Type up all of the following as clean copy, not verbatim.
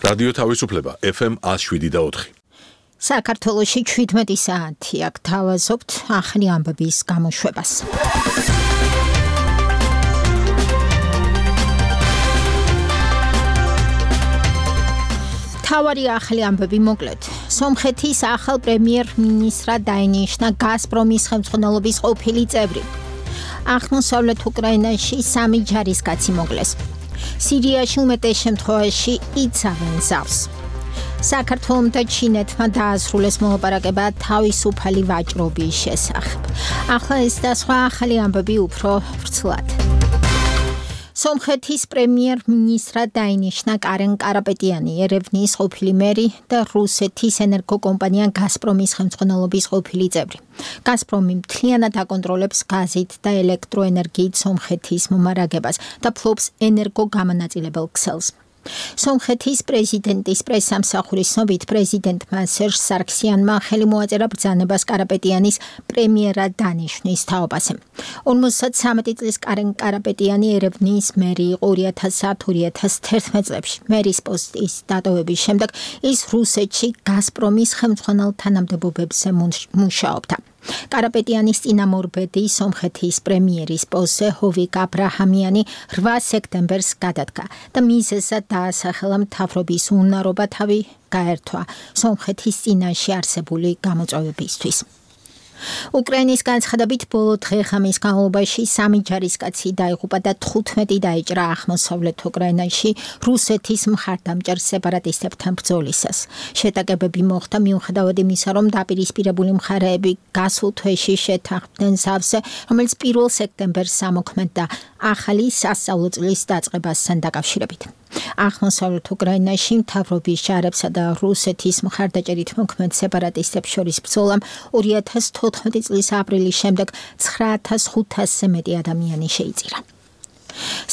რადიო თავისუფლება FM 107.4. საქართველოში 17 საათი აქ თავაზობთ ახალი ამბების გამოშვებას. თავარი ახალი ამბები მოკლედ. სომხეთის ახალ პრემიერ-მინისტრად დაინიშნა გაზპრომის ხელმძღვანელობის ყოფილი წევრი. აღმოსავლეთ უკრაინაში 3 ჯარისკაცი მოკლეს. სირიაში უმეტეს შემთხვევაში იცავენ ზავს. საქართველომ და ჩინეთმა დაასრულეს მოლაპარაკება თავისუფალი ვაჭრობის შესახებ. ახლა ეს და სხვა ახალი ამბები უფრო ვრცლად. სომხეთის პრემიერ-მინისტრად დაინიშნა კარენ კარაპეტიანი, ერევნის ყოფილი მერი და რუსეთის ენერგოკომპანია გაზპრომის ხელმძღვანელობის ყოფილი წევრი. გაზპრომი მთლიანად აკონტროლებს გაზით და ელექტროენერგიით სომხეთის მომარაგებას და ფლობს ენერგოგამონაწილებელ ქსელს. სომხეთის პრეზიდენტის პრესსამსახურის ცნობით პრეზიდენტმა სერჟ სარქსიანმა ხელი მოაწერა ბრძანებას კარაპეტიანის პრემიერად დანიშვნის თაობაზე. 53 წლის კარენ კარაპეტიანი ერევნის მერი იყო 2010-2011 წლებში. მერის პოსტის დატოვების შემდეგ ის რუსეთში გაზპრომის ხელმძღვანელ თანამდებობებზე მუშაობდა. კარაპეტიანის წინამორბედი სომხეთის პრემიერის პოსტზე ჰოვიკ აბრაჰამიანი 8 სექტემბერს გადადგა და მიზეზად დაასახელა მთავრობის უნარობა თავი გაერთვა სომხეთის წინაშე არსებული გამოწვევებისთვის. უკრაინის განცხადებით ბოლო დღე-ღამის განმავლობაში 3 ჯარისკაცი დაიღუპა და 15 დაიჭრა აღმოსავლეთ უკრაინაში რუსეთის მხარდამჭერ სეპარატისტებთან ბრძოლისას. შეტაკებები მოხდა მიუხედავად იმისა, რომ დაპირისპირებული მხარეები გასულ თვეში შეთანხმდნენ ზავზე, რომელიც 1 სექტემბერს ამოქმედდა ახალი სასწავლო წლის დაწყებასთან დაკავშირებით. აღმოსავლეთ უკრაინაში მთავრობის ჯარებსა და რუსეთის მხარდაჭერით მოქმედ სეპარატისტებს შორის ბრძოლამ 2014 წლის აპრილის შემდეგ 9500-ზე მეტი ადამიანი შეიწირა.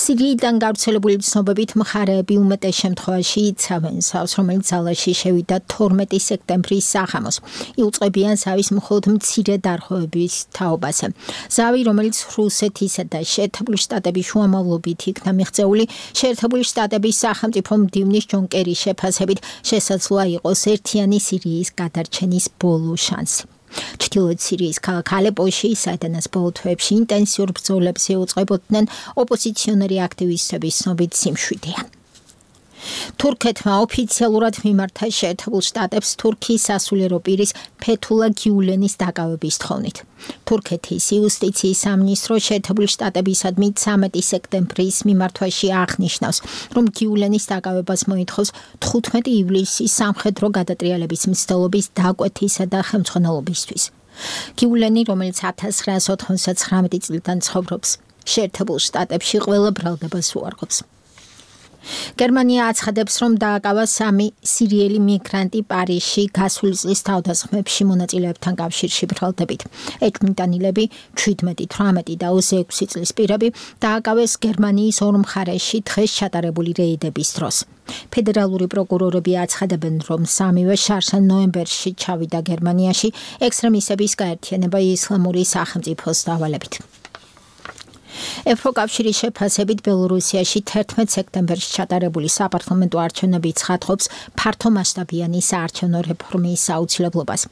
სირიიდან გავრცელებული ცნობებით მხარეები უმეტეს შემთხვევაში იცავენ ზავს, რომელიც ძალაში შევიდა 12 სექტემბრის საღამოს. იუწყებიან ზავის მხოლოდ მცირე დარღვევების თაობაზე. ზავი, რომელიც რუსეთისა და შეერთებული შტატების შუამავლობით იქნა მიღწეული, შეერთებული შტატების სახელმწიფო მდივნის ჯონ კერის შეფასებით შესაძლოა იყოს ერთიანი სირიის გადარჩენის ბოლო შანსი. ჩრდილოეთ სირიის ქალაქ ალეპოში, საიდანაც ბოლო თვეებში ინტენსიურ ბრძოლებს ეუწყებოდნენ ოპოზიციონერი აქტივისტების ცნობით სიმშვიდეა. თურქეთმა ოფიციალურად მიმართა შეერთებულ შტატებს თურქიის სასულიერო პირის ფეთულა გიულენის დაკავების თხოვნით. თურქეთის იუსტიციის სამინისტრო შეერთებული შტატებისადმი 13 სექტემბრის მიმართვაში აღნიშნავს, რომ გიულენის დაკავებას მოითხოვს 15 ივლისის სამხედრო გადატრიალების მცდელობის დაკვეთისა და ხელმძღვანელობისთვის. გიულენი, რომელიც 1999 წლიდან ცხოვრობს შეერთებულ შტატებში, ყველა ბრალდებას უარყოფს. გერმანია აცხადებს, რომ დააკავა 3 სირიელი მიგრანტი პარიზში გასული წლის თავდასხმებში მონაწილეებთან კავშირში ბრალდებით. ეჭვმიტანილები 17, 18 და 26 წლის პირები დააკავეს გერმანიის ორ მხარეში დღეს ჩატარებული რეიდების დროს. ფედერალური პროკურორები აცხადებენ, რომ 3-ვე შარშან ნოემბერში ჩავიდა გერმანიაში ექსტრემისტების გაერთიანება ისლამური სახელმწიფოს დავალებით. ევროკავშირის შეფასებით ბელორუსიაში 11 სექტემბერში ჩატარებული საპარლამენტო არჩევნები ცხადყოფს ფართომასშტაბიანი საარჩევნო რეფორმის აუცილებლობას.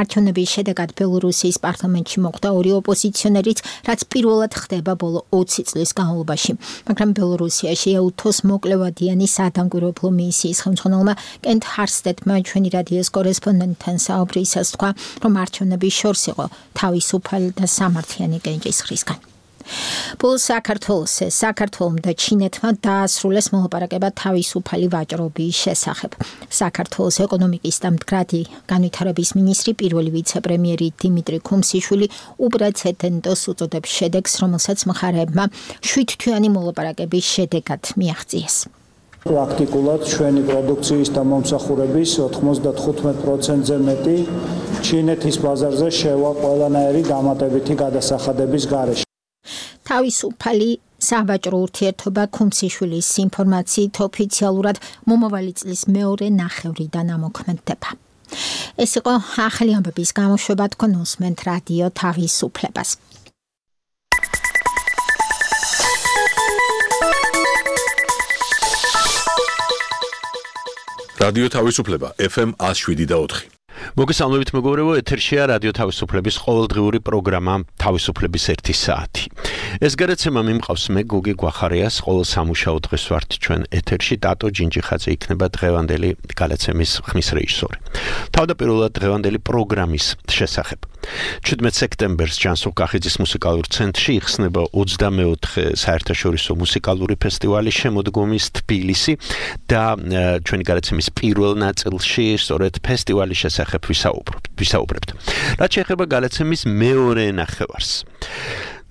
არჩევნების შედეგად ბელორუსიის პარლამენტში მოხვდა 2 ოპოზიციონერიც, რაც პირველად ხდება ბოლო 20 წლის განმავლობაში. მაგრამ ბელორუსიაში ეუთოს მოკლევადიანი სადამკვირვებლო მისიის ხელმძღვანელმა კენტ ჰარსტეტმა ჩვენი რადიოს კორესპონდენტთან საუბრისას თქვა, რომ არჩევნები შორს იყო თავისუფალი და სამართლიანი კენჭისყრისგან. საქართველომ და ჩინეთმა დაასრულეს მოლაპარაკება თავისუფალი ვაჭრობის შესახებ. საქართველოს ეკონომიკის და მდგრადი განვითარების მინისტრი პირველი ვიცე-პრემიერი დიმიტრი ქუმსიშვილი უპრეცედენტოს უწოდებს შედეგს, რომელსაც მხარეებმა 7-თვიანი მოლაპარაკების შედეგად მიაღწიეს. პრაქტიკულად ჩვენი პროდუქციის და მომსახურების 95%-ზე მეტი ჩინეთის ბაზარზე შევა ყველანაირი დამატებითი გადასახადების გარეშე. თავისუფალი სავაჭრო ურთიერთობა ქუმსიშვილის ინფორმაციით ოფიციალურად მომავალი წლის მეორე ნახევრიდან ამოქმედდება. ეს იყო ახალი ამბების გამოშვება, თქვენ უსმენთ რადიო თავისუფლებას. რადიო თავისუფლება FM 107.4. მოგესალმებით მეგობრებო, ეთერშია რადიო თავისუფლების ყოველდღიური პროგრამა თავისუფლების 1 საათი. ეს გადაცემა მიმყავს მე გოგი გვახარიას, ყოველ სამუშაო დღეს ვართ ჩვენ ეთერში, ტატო ჯინჯიხაძე იქნება დღევანდელი გადაცემის ხმის რეჟისორი. თავდაპირველად დღევანდელი პროგრამის შესახებ. 17 სექტემბერს ჯანსუღ კახიძის მუსიკალურ ცენტრში იხსნება 24 საერთაშორისო მუსიკალური ფესტივალი შემოდგომის თბილისი და ჩვენი გადაცემის პირველ ნაწილში სწორედ ფესტივალის შესახებ ვისაუბრებთ. რაც შეეხება გადაცემის მეორე ნახევარს.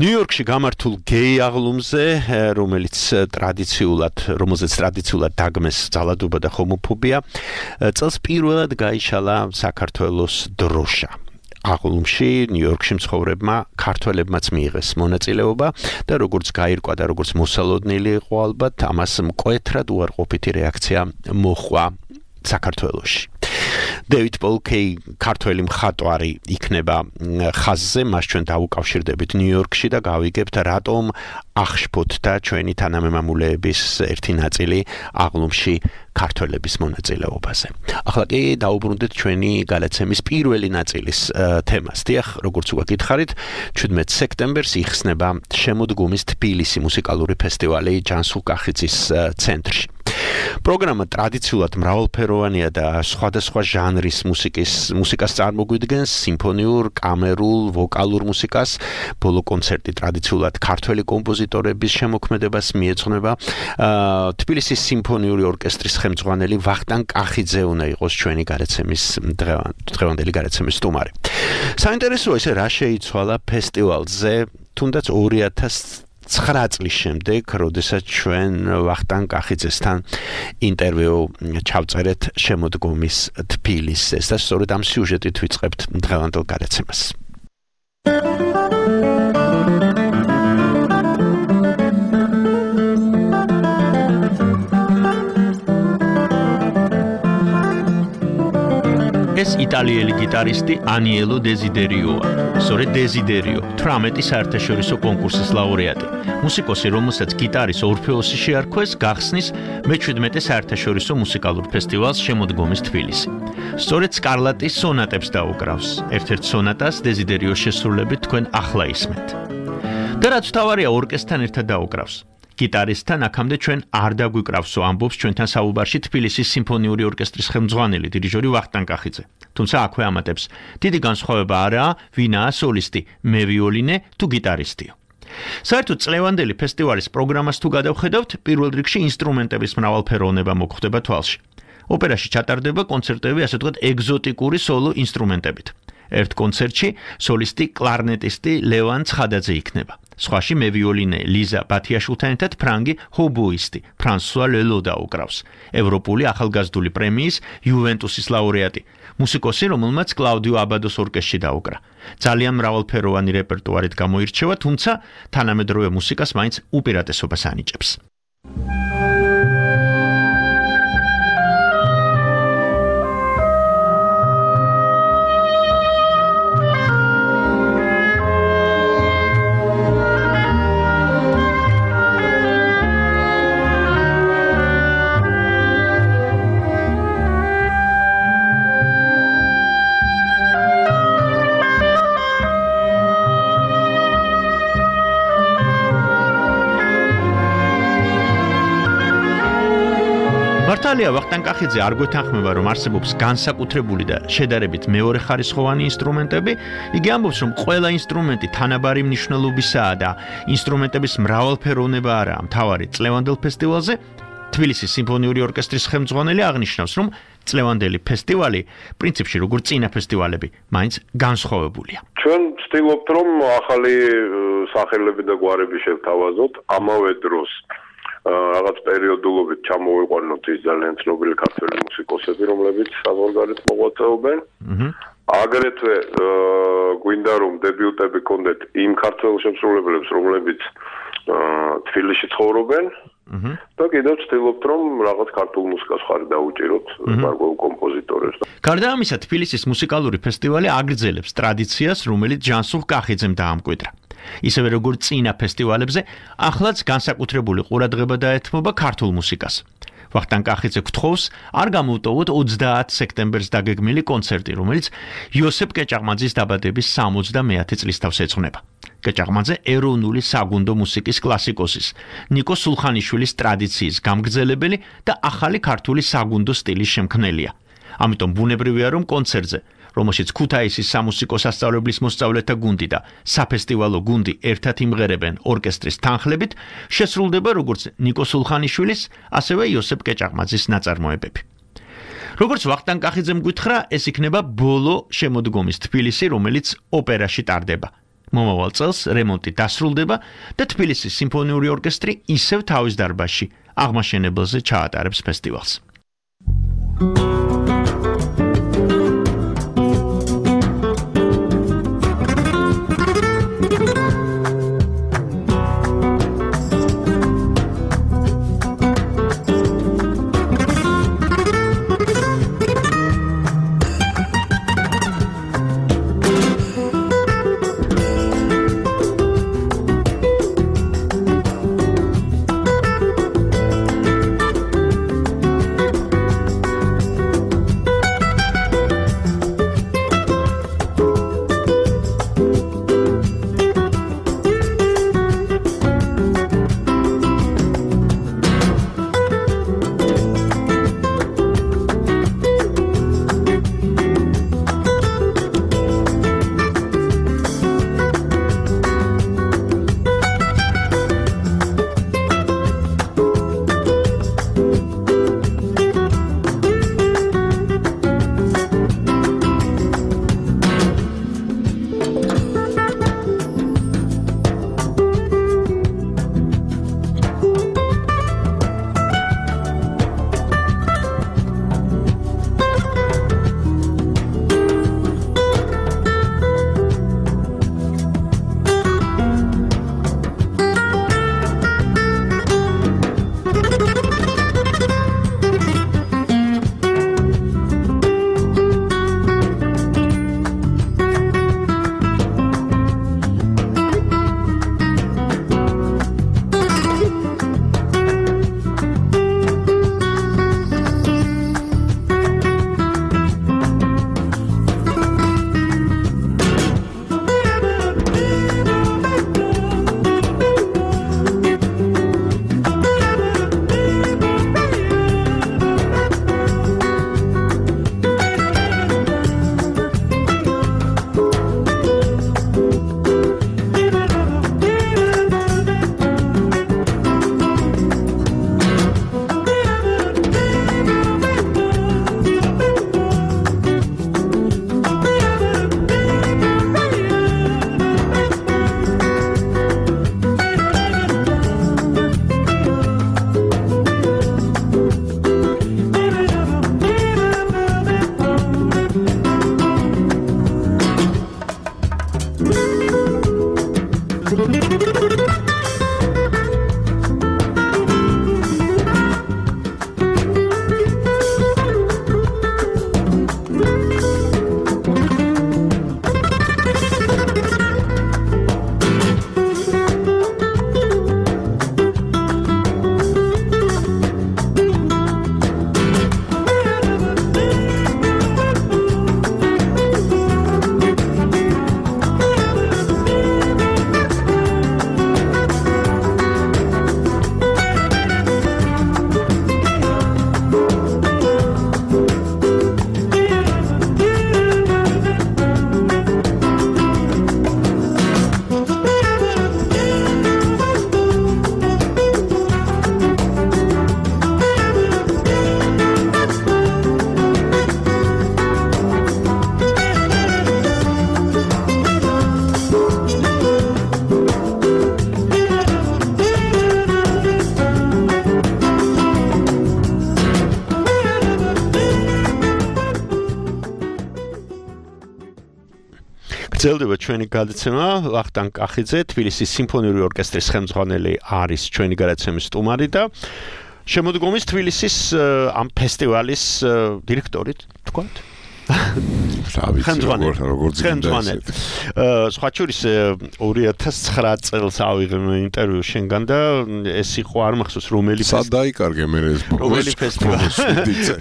ნიუ-იორკში გამართულ გეი აღლუმზე, რომელზეც ტრადიციულად დაგმეს ძალადობა და ჰომოფობია, წელს პირველად გაიშალა საქართველოს დროშა. აღლუმში ნიუ-იორკში მცხოვრებმა ქართველებმაც მიიღეს მონაწილეობა და როგორც გაირკვა და როგორც მოსალოდნელი იყო ალბათ, ამას მკვეთრად უარყოფითი რეაქცია მოჰყვა საქართველოში. დევიდ პოლკეი ქართველი მხატვარი იქნება ხაზზე, მას ჩვენ დავუკავშირდებით ნიუ-იორკში და გავიგებთ რატომ ახშფოთ და ჩვენი თანამემამულეების ერთი ნაწილი აღლუმში ქართველების მონაწილეობაზე. ახლა კი დაუბრუნდეთ ჩვენი გადაცემის პირველი ნაწილის თემას. დიახ, როგორც უკვე გითხარით, 17 სექტემბერს იხსნება შემოდგომის თბილისი მუსიკალური ფესტივალი ჯანსუღ კახიძის ცენტრში. პროგრამა ტრადიციულად მრავალფეროვანია და სხვადასხვა ჟანრის მუსიკას წარმოგვიდგენს, სიმფონიურ, კამერულ, ვოკალურ მუსიკას. ბოლო კონცერტი ტრადიციულად ქართველი კომპოზიტორების შემოქმედებას მიეძღვნება. თბილისის სიმფონიური ორკესტრის ხელმძღვანელი ვახტანგ კახიძე უნდა იყოს ჩვენი გადაცემის დღევანდელი გადაცემის სტუმარი. საინტერესოა ისე რა შეიცვალა ფესტივალზე, თუნდაც 2009 წლის შემდეგ, როდესაც ჩვენ ვახტანგ კახიძესთან ინტერვიუ ჩავწერეთ შემოდგომის თბილისს და სწორედ ამ სიუჟეტით ვიწყებთ დღევანდელ გადაცემას. ეს იტალიელი გიტარისტი ანიელო დეზიდერიოა. სწორედ დეზიდერიო, 18 საერთაშორისო კონკურსის ლაურეატი. მუსიკოსი, რომელსაც გიტარის ორფეოსი შეარქვეს, გახსნის მე-17 საერთაშორისო მუსიკალურ ფესტივალს შემოდგომის თბილისი. სწორედ სკარლატის სონატებს დაუკრავს. ერთ-ერთ სონატას დეზიდერიოს შესრულებით თქვენ ახლა ისმენთ. და რაც თავარია, ორკესტრთან ერთად დაუკრავს. გიტარისტთან აქამდე ჩვენ არ დაგვიკრავსო, ამბობს ჩვენთან საუბარში თბილისის სიმფონიური ორკესტრის ხელმძღვანელი დირიჟორი ვახტანგ კახიძე. თუმცა აქვე ამატებს, დიდი განსხვავება არაა, ვინაა სოლისტი, მე ვიოლინე თუ გიტარისტიო. საერთოდ წლევანდელი ფესტივალის პროგრამას თუ გადავხედავთ, პირველ რიგში ინსტრუმენტების მრავალფეროვნება მოგხვდება თვალში. ოპერაში ჩატარდება კონცერტები, ასე ვთქვათ, ეგზოტიკური სოლო ინსტრუმენტებით. ერთ კონცერტში სოლისტი კლარნეტისტი ლევან ცხადაძე იქნება. სხვაში მე ვიოლინე ლიზა ბათიაშვილთან ერთად ფრანგი ჰობოისტი ფრანსუა ლელო დაუკრავს. ევროპული ახალგაზრდული პრემიის იუვენტუსის ლაურეატი, მუსიკოსი, რომელმაც კლაუდიო აბადოს ორკესტრში დაუკრა. ძალიან მრავალფეროვანი რეპერტუარით გამოირჩევა, თუმცა თანამედროვე მუსიკას მაინც უპირატესობას ანიჭებს. მართალია ვახტანგ კახიძე არ გვეთანხმება, რომ არსებობს განსაკუთრებული და შედარებით მეორეხარისხოვანი ინსტრუმენტები. იგი ამბობს, რომ ყველა ინსტრუმენტი თანაბარი მნიშვნელობისაა და ინსტრუმენტების მრავალფეროვნება არაა მთავარი წლევანდელ ფესტივალზე. თბილისის სიმფონიური ორკესტრის ხელმძღვანელი აღნიშნავს, რომ წლევანდელი ფესტივალი პრინციპში როგორც წინა ფესტივალები მაინც განსხვავებულია. ჩვენ ვცდილობთ, რომ ახალი სახელები და გვარები შევთავაზოთ, ამავე დროს რაღაც პერიოდულობით ჩამოვიყვანოთ ის ძალიან ცნობილი ქართველი მუსიკოსები, რომლებიც საზღვარგარეთ მოღვაწეობენ. აგრეთვე გვინდა რომ დებიუტები გქონდეთ იმ ქართველ შემსრულებლებს, რომლებიც თბილისში ცხოვრობენ. და კიდევ ვცდილობთ, რომ რაღაც ქართულ მუსიკას ხარი დაუჭიროთ გარკვეულ კომპოზიტორებს. გარდა ამისა, თბილისის მუსიკალური ფესტივალი აგრძელებს ტრადიციას, რომელიც ჯანსუღ კახიძემ დაამკვიდრა. ისევე როგორც წინა ფესტივალებზე, ახლაც განსაკუთრებული ყურადღება დაეთმობა ქართულ მუსიკას. ვახტანგ კახიძე გთხოვს არ გამოვტოვოთ 30 სექტემბერს დაგეგმილი კონცერტი, რომელიც იოსებ კეჭაღმაძის დაბადების 70 წლის თავს ეძღვნება. კეჭაღმაძე ეროვნული საგუნდო მუსიკის კლასიკოსის, ნიკო სულხანიშვილის ტრადიციის გამგრძელებელი და ახალი ქართული საგუნდო სტილის შემქმნელია. ამიტომ ბუნებრივია, რომ კონცერტზე, რომელშიც ქუთაისის სამუსიკო სასწავლებლის მოსწავლეთა გუნდი და საფესტივალო გუნდი ერთად იმღერებენ ორკესტრის თანხლებით, შესრულდება როგორც ნიკო სულხანიშვილის, ასევე იოსებ კეჭაღმაძის ნაწარმოებები. როგორც ვახტანგ კახიძემ გითხრა, ეს იქნება ბოლო შემოდგომის თბილისი, რომელიც ოპერაში ტარდება. მომავალ წელს რემონტი დასრულდება და თბილისის სიმფონიური ორკესტრი ისევ თავის დარბაზში აღმაშენებელზე ჩაატარებს ფესტივალს. გრძელდება ჩვენი გადაცემა. ვახტანგ კახიძე, თბილისის სიმფონიური ორკესტრის ხელმძღვანელი არის ჩვენი გადაცემის სტუმარი და შემოდგომის თბილისის ამ ფესტივალის დირექტორი, თქვათ? როგორც სხვა შორის 2009 წელს ავიღე ინტერვიუ შენგან და ეს იყო არ მახსოვს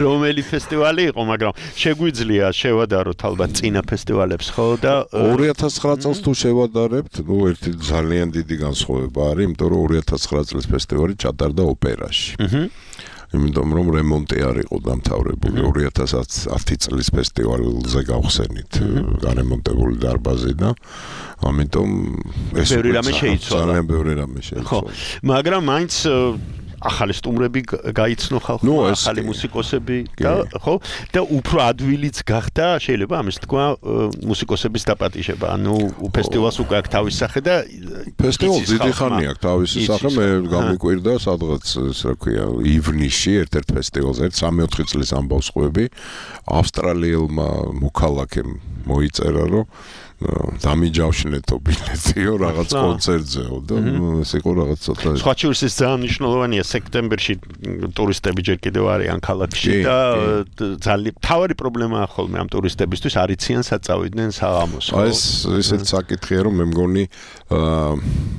რომელი ფესტივალი იყო, მაგრამ შეგვიძლია შევადაროთ ალბათ წინა ფესტივალებს, ხო და 2009 წელს თუ შევადარებთ, ერთი ძალიან დიდი განსხვავება არის, იმიტომ რომ 2009 წლის ფესტივალი ჩატარდა ოპერაში. იმიტომ რომ რემონტი არ იყო დამთავრებული 2010 წლის ფესტივალზე გავხსენით გარემონტებული დარბაზი და ამიტომ ეს ძალიან ბევრი რამე შეიცვალა. მაგრამ მაინც ახალი სტუმრები გაიცნო ხალხმა, ახალი მუსიკოსები და ხო და უფრო ადვილიც გახდა შეიძლება ამის თქვა მუსიკოსების დაპატიჟება. ანუ ფესტივალს უკვე აქვს თავისი სახე და ფესტივალს დიდი ხანი აქვს თავისი სახე. მე გამიკვირდა სადღაც ეს რა ქვია ივნისში ერთ-ერთ ფესტივალზე 3-4 წლის ამბავს ყვები ავსტრალიელმა მოქალაქემ მოიწერა რომ დამიჯავშნეთო ბილეთიო რაღაც კონცერტზეო და ეს იყო რაღაც ცოტა სხვა შორის ეს ძალიან მნიშვნელოვანია სექტემბერში ტურისტები ჯერ კიდევ არიან ქალაქში და ძალიან თავარი პრობლემაა ხოლმე ამ ტურისტებისთვის არიციან საწავიდნენ საღამოს. ეს ისეთ საკითხია რომ მე მგონი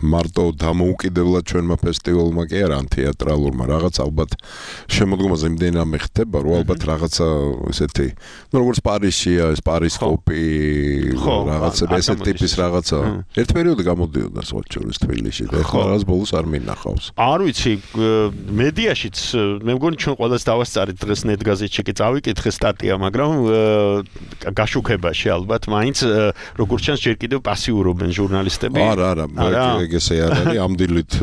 მარტო დამოუკიდებლად ჩვენმა ფესტივალმა კი არა თეატრალურმა რაღაც ალბათ შემოდგომაზე იმდენად ხდება რომ ალბათ რაღაცა ესეთი როგორც პარიზშია ეს პარისკოპი რაღაცა ესეთ ტიპის რაღაცა ერთ პერიოდში გამოდიოდა სხვა შორის თბილისში და ახლა რაღაც ბოლოს არ მინახავს. არ ვიცი მედიაშიც მე მგონი ჩვენ ყველას დავასწარით დღეს ნეტგაზეთში კი წავიკითხე სტატია, მაგრამ გაშუქებაში ალბათ მაინც როგორც ჩანს ჯერ კიდევ პასიურობენ ჟურნალისტები. არა, ეგ ესე არ არის. ამ დილით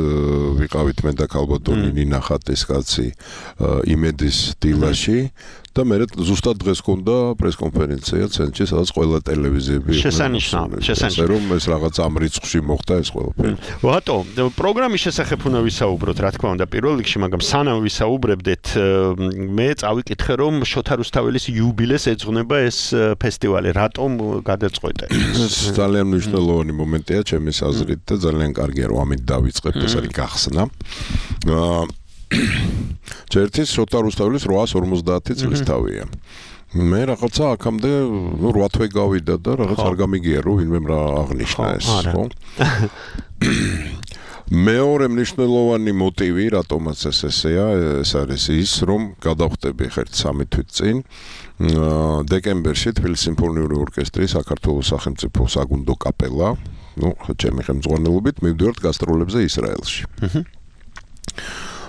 ვიყავით მე და ქალბატონი ნინა ხატის კაცი იმედის დილაში და მე ზუსტად დღეს გქონდა პრესკონფერენცია ცენტრში, სადაც ყველა ტელევიზიები შესანიშნავია რომ ეს რაღაც ამ რიცხვში მოხდა ეს ყველაფერი. ბატო, პროგრამის შესახებ უნდა ვისაუბროთ, რა თქმა უნდა, პირველ რიგში, მაგრამ სანამ ვისაუბრებდეთ, მე წავიკითხე, რომ შოთა რუსთაველის იუბილეს ეძღვნება ეს ფესტივალი. რატომ გადაწყვეტე? ეს ძალიან მნიშვნელოვანი მომენტია ჩემის აზრით და ძალიან კარგია რომ ამით დავიწყებთ, ეს არის გახსნა. ჩერტის შოთა რუსთაველის 850 წლის თავია. მე რაღაცა აქამდე 8 თვე გავიდა და რაღაც არ გამიგია რომ ვინმე რა აღნიშნა ეს, ხო? მეორე მნიშვნელოვანი მოტივი, რატომაც ეს ესეა, ეს არის ის, რომ გადავხდები ხერთ 3 თვით წინ დეკემბერში თბილისის სიმფონიური ორკესტრის საქართველოს სახელმწიფო საგუნდო კაპელა, ჩემი ხელმძღვანელობით მივდივართ გასტროლებზე ისრაელში.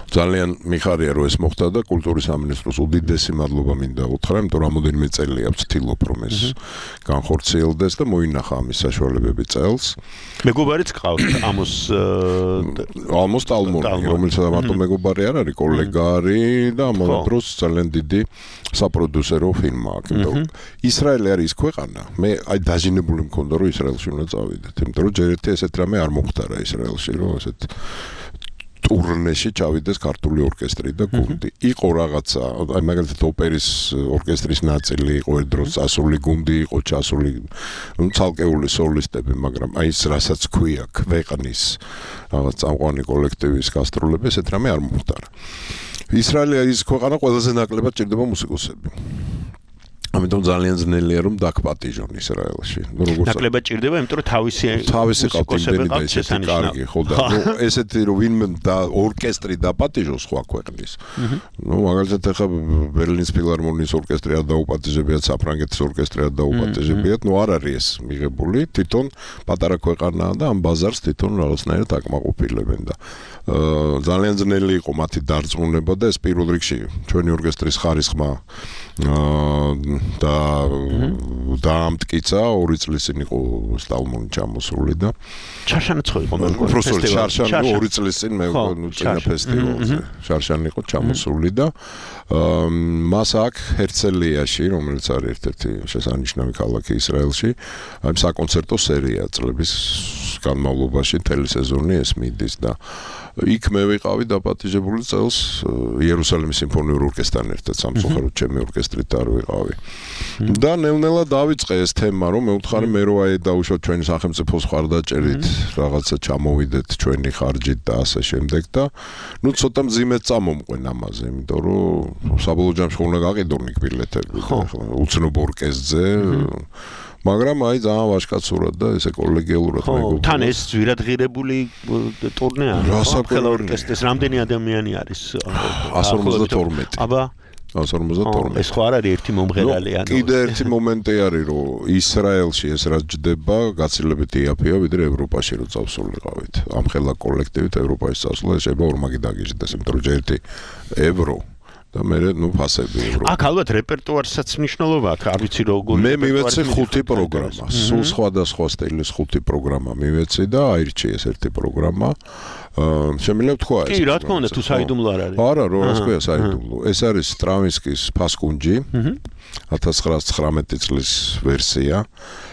ძალიან მიხარია რომ ეს მოხდა და კულტურის სამინისტროს უდიდესი მადლობა მინდა უთხრა, იმიტომ რომ რამოდენიმე წელია ვცდილობ რომ ეს განხორციელდეს და მოინახა ამის საშუალებები წელს. მეგობარიც ყავთ ალმოს ტალმონი, რომელსაც მარტო მეგობარი არ არის, კოლეგა არის და ამ დროს ძალიან დიდი საპროდიუსერო ფილმა აქვს. იმიტომ რომ ისრაელი არის ის ქვეყანა, მე აი დაჟინებული მქონდა რომ ისრაელში უნდა წავიდეთ, იმიტომ რომ ჯერ ერთი ესეთ რამე არ მოხდარა ისრაელში, რომ ესეთ ტურნეში ჩავიდეს ქართული ორკესტრი და გუნდი. იყო რაღაცა, აი მაგალითად ოპერის ორკესტრის ნაწილი იყო ერთ დროს ასული გუნდი იყო ჩასული, ცალკეული სოლისტები, მაგრამ აი ეს რასაც ქვია ქვეყნის რაღაც წამყვანი კოლექტივის გასტროლები, ესეთ რამე არ მოხდარა. ისრაელი არის ქვეყანა, ყველაზე ნაკლებად ჭირდება მუსიკოსები. ამიტომ ძალიან ძნელია რომ დაგპატიჟონ ისრაელში. ნაკლებად ჭირდება, იმიტომ რომ თავისი მუსიკოსები და ესეთი კარგი, ხო და ესეთი რომ ვინმე და ორკესტრი დაპატიჟოს სხვა ქვეყნის. მაგალითად ახლა ბერლინის ფილარმონიის ორკესტრი არ დაუპატიჟებიათ, საფრანგეთის ორკესტრი არ დაუპატიჟებიათ, არ არის ეს მიღებული, თვითონ პატარა ქვეყანაა და ამ ბაზარს თვითონ რაღაცნაირად აკმაყოფილებენ და ძალიან ძნელი იყო მათი დარწმუნება და ეს პირველ რიგში ჩვენი ორკესტრის ხარისხმა და დაამტკიცა 2 წლის წინ იყო სტალმონი ჩამოსული და ჩარშანიც ხო იყო ფესტივალი ჩარშანი 2 წლის წინ მე წინა ფესტივალზე ჩარშანი იყო ჩამოსული და მას აქ ჰერცელიაში, რომელიც არის ერთ-ერთი შესანიშნავი ქალაქი ისრაელში, აი საკონცერტო სერია წლების განმავლობაში მთელი სეზონი ეს მიდის და იქ მე ვიყავი დაპატიჟებული წელს იერუსალიმის სიმფონიურ ორკესტრთან ერთად სამწუხაროდ ჩემი ორკესტრით არ ვიყავი და ნელ-ნელა დავიწყე ეს თემა რომ მე ვთხარი მე რო აი დაუშვათ ჩვენი სახელმწიფოს ხარდაჭერით რაღაცა ჩამოვიდეთ ჩვენი ხარჯით და ასე შემდეგ და ნუ ცოტა მძიმედ წამომყვენ ამაზე იმიტომ რომ საბოლოო ჯამში უნდა გაყიდულნი ბილეთები უცნობ ორკესტრზე მაგრამ აი ძალიან ვაჟკაცურად და ესე კოლეგიალურად მეგობრულად. თან ეს ძვირადღირებული ტურნე არის. ყველა ორკესტრის რამდენი ადამიანი არის? 152. აბა 152. ეს ხო არ არის ერთი მომღერალი ანუ. კიდე ერთი მომენტი არის რომ ისრაელში ეს რაც ჯდება გაცილებით იაფია ვიდრე ევროპაში რო წავსულიყავით. ამ ხელა კოლექტივით ევროპაში წავსულა შეიძლება ორმაგი დაგიჟდეს იმიტომ რომ ერთი ევრო და მე ნუ ფასები ევროპა. აქ ალბათ რეპერტუარსაც მნიშვნელობა აქვს, არ ვიცი როგორ. მე მივეცი 5 პროგრამა, სულ სხვადასხვა სტილის 5 პროგრამა მივეცი და აირჩიეს ერთი პროგრამა. შემიძლია თქვა ეს. კი, რა თქმა უნდა, თუ საიდუმლო არ არის. არა, რა თქვია საიდუმლო. ეს არის სტრავინსკის ფასკუნჯი. 1919 წლის ვერსია.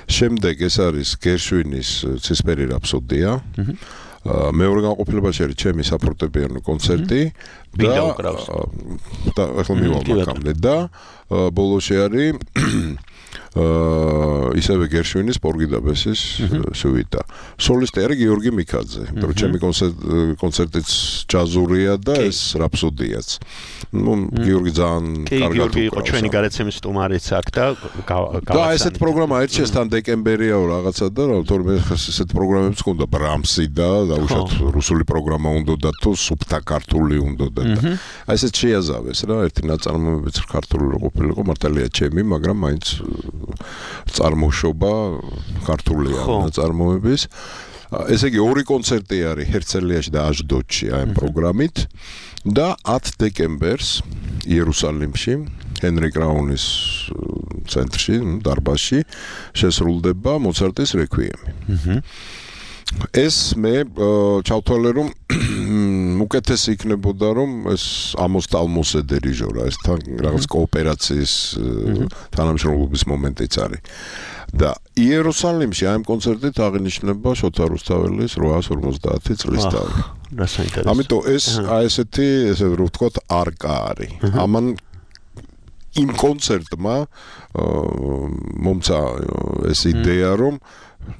შემდეგ ეს არის გერშვინის ცისფერი რაფსოდია. მეორე განყოფილებაში არის ჩემი საფორტეპიანო კონცერტი და ახლა მივამაკამდე და ბოლოში არის ისევე გერშვინის პორგიდაბესის სუიტა. სოლისტი არის გიორგი მიქაძე, იმიტომ რომ ჩემი კონცერტიც ჯაზურია და ეს რაფსოდიაც. ნუ გიორგი ძალიან კარგად გიორგი იყო ჩვენი გარეთ სტუმარიც აქ და და ესეთ პროგრამა ერჩიეს თან დეკემბერიაო რაღაცა და თორემ ესეთ პროგრამებს ჰქონდა ბრამსი და დაუშვათ რუსული პროგრამა უნდა თუ სუფთა ქართული უნდა და აი ესეთ შეაზავეს რა ერთი ნაწარმოებიც ქართული რო ყოფილიყო მართალია ჩემი მაგრამ მაინც წარმოშობა ქართულია ნაწარმოების ესე იგი ორი კონცერტი არის ჰერცელიაში და აჟდოდში აი პროგრამით და 10 დეკემბერს იერუსალიმში ჰენრი კრაუნის ცენტრში დარბაზში შესრულდება მოცარტის რეკვიემი. ეს მე ჩავთვალე რომ უკეთესი იქნებოდა რომ ეს ამოს ტალმოსე დირიჟორა ეს რაღაც კოოპერაციის თანამშრომლობის მომენტიც არის და იერუსალიმში აი ამ კონცერტით აღინიშნება შოთა რუსთაველის 850 წლის თავი. რა საინტერესო. ამიტომ ეს აი ესეთი ესე რომ ვთქვათ არკა არის. ამან იმ კონცერტმა მომცა ეს იდეა რომ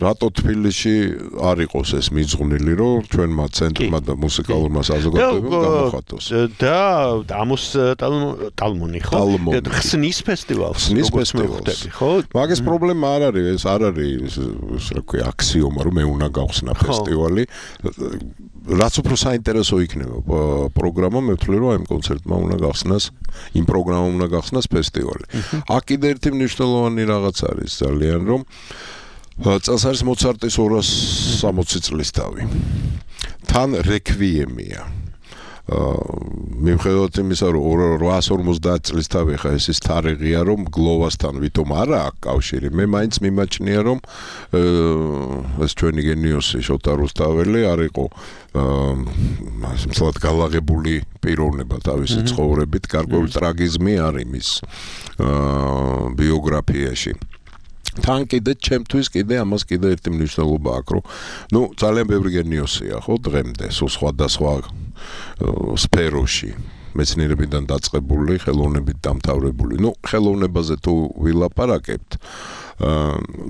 რატო თბილისში არ იყოს ეს მიძღვნილი რომ ჩვენმა ცენტრმა და მუსიკალურმა საზოგადოებამ გამოხატოს და ამოს ტალმონი ხო ხსნის ფესტივალს როგორც მე ვხვდები ხო მაგის პრობლემა არ არის ეს არ არის რა ქვია აქსიომა რომ მე უნდა გავხსნა ფესტივალი რაც უფრო საინტერესო იქნება პროგრამა მე ვთვლი რომ აი ამ კონცერტმა უნდა გავხსნას იმ პროგრამამ უნდა გავხსნას ფესტივალი აქ კიდე ერთი მნიშვნელოვანი რაღაც არის ძალიან რომ წელს არის მოცარტის 260 წლის თავი. თან რეკვიემია. მიუხედავად იმისა, რომ 850 წლის თავი ხა ეს თარიღია, რომ გლოვასთან ვითომ არა აქვს კავშირი. მე მაინც მიმაჩნია, რომ ეს ჩვენი გენიოსი შოთა რუსთაველი არ იყო მსლად გალაღებული პიროვნება თავისი ცხოვრებით, გარკვეული ტრაგიზმი არის მის ბიოგრაფიაში. თან კიდე ჩემთვის კიდე ამას კიდე ერთი მნიშვნელობა აქვს რომ ნუ ძალიან ბევრი გენიოსია ხო დღემდე სულ სხვადასხვა სფეროში მეცნიერებიდან დაწყებული ხელოვნებით დამთავრებული ნუ ხელოვნებაზე თუ ვილაპარაკებთ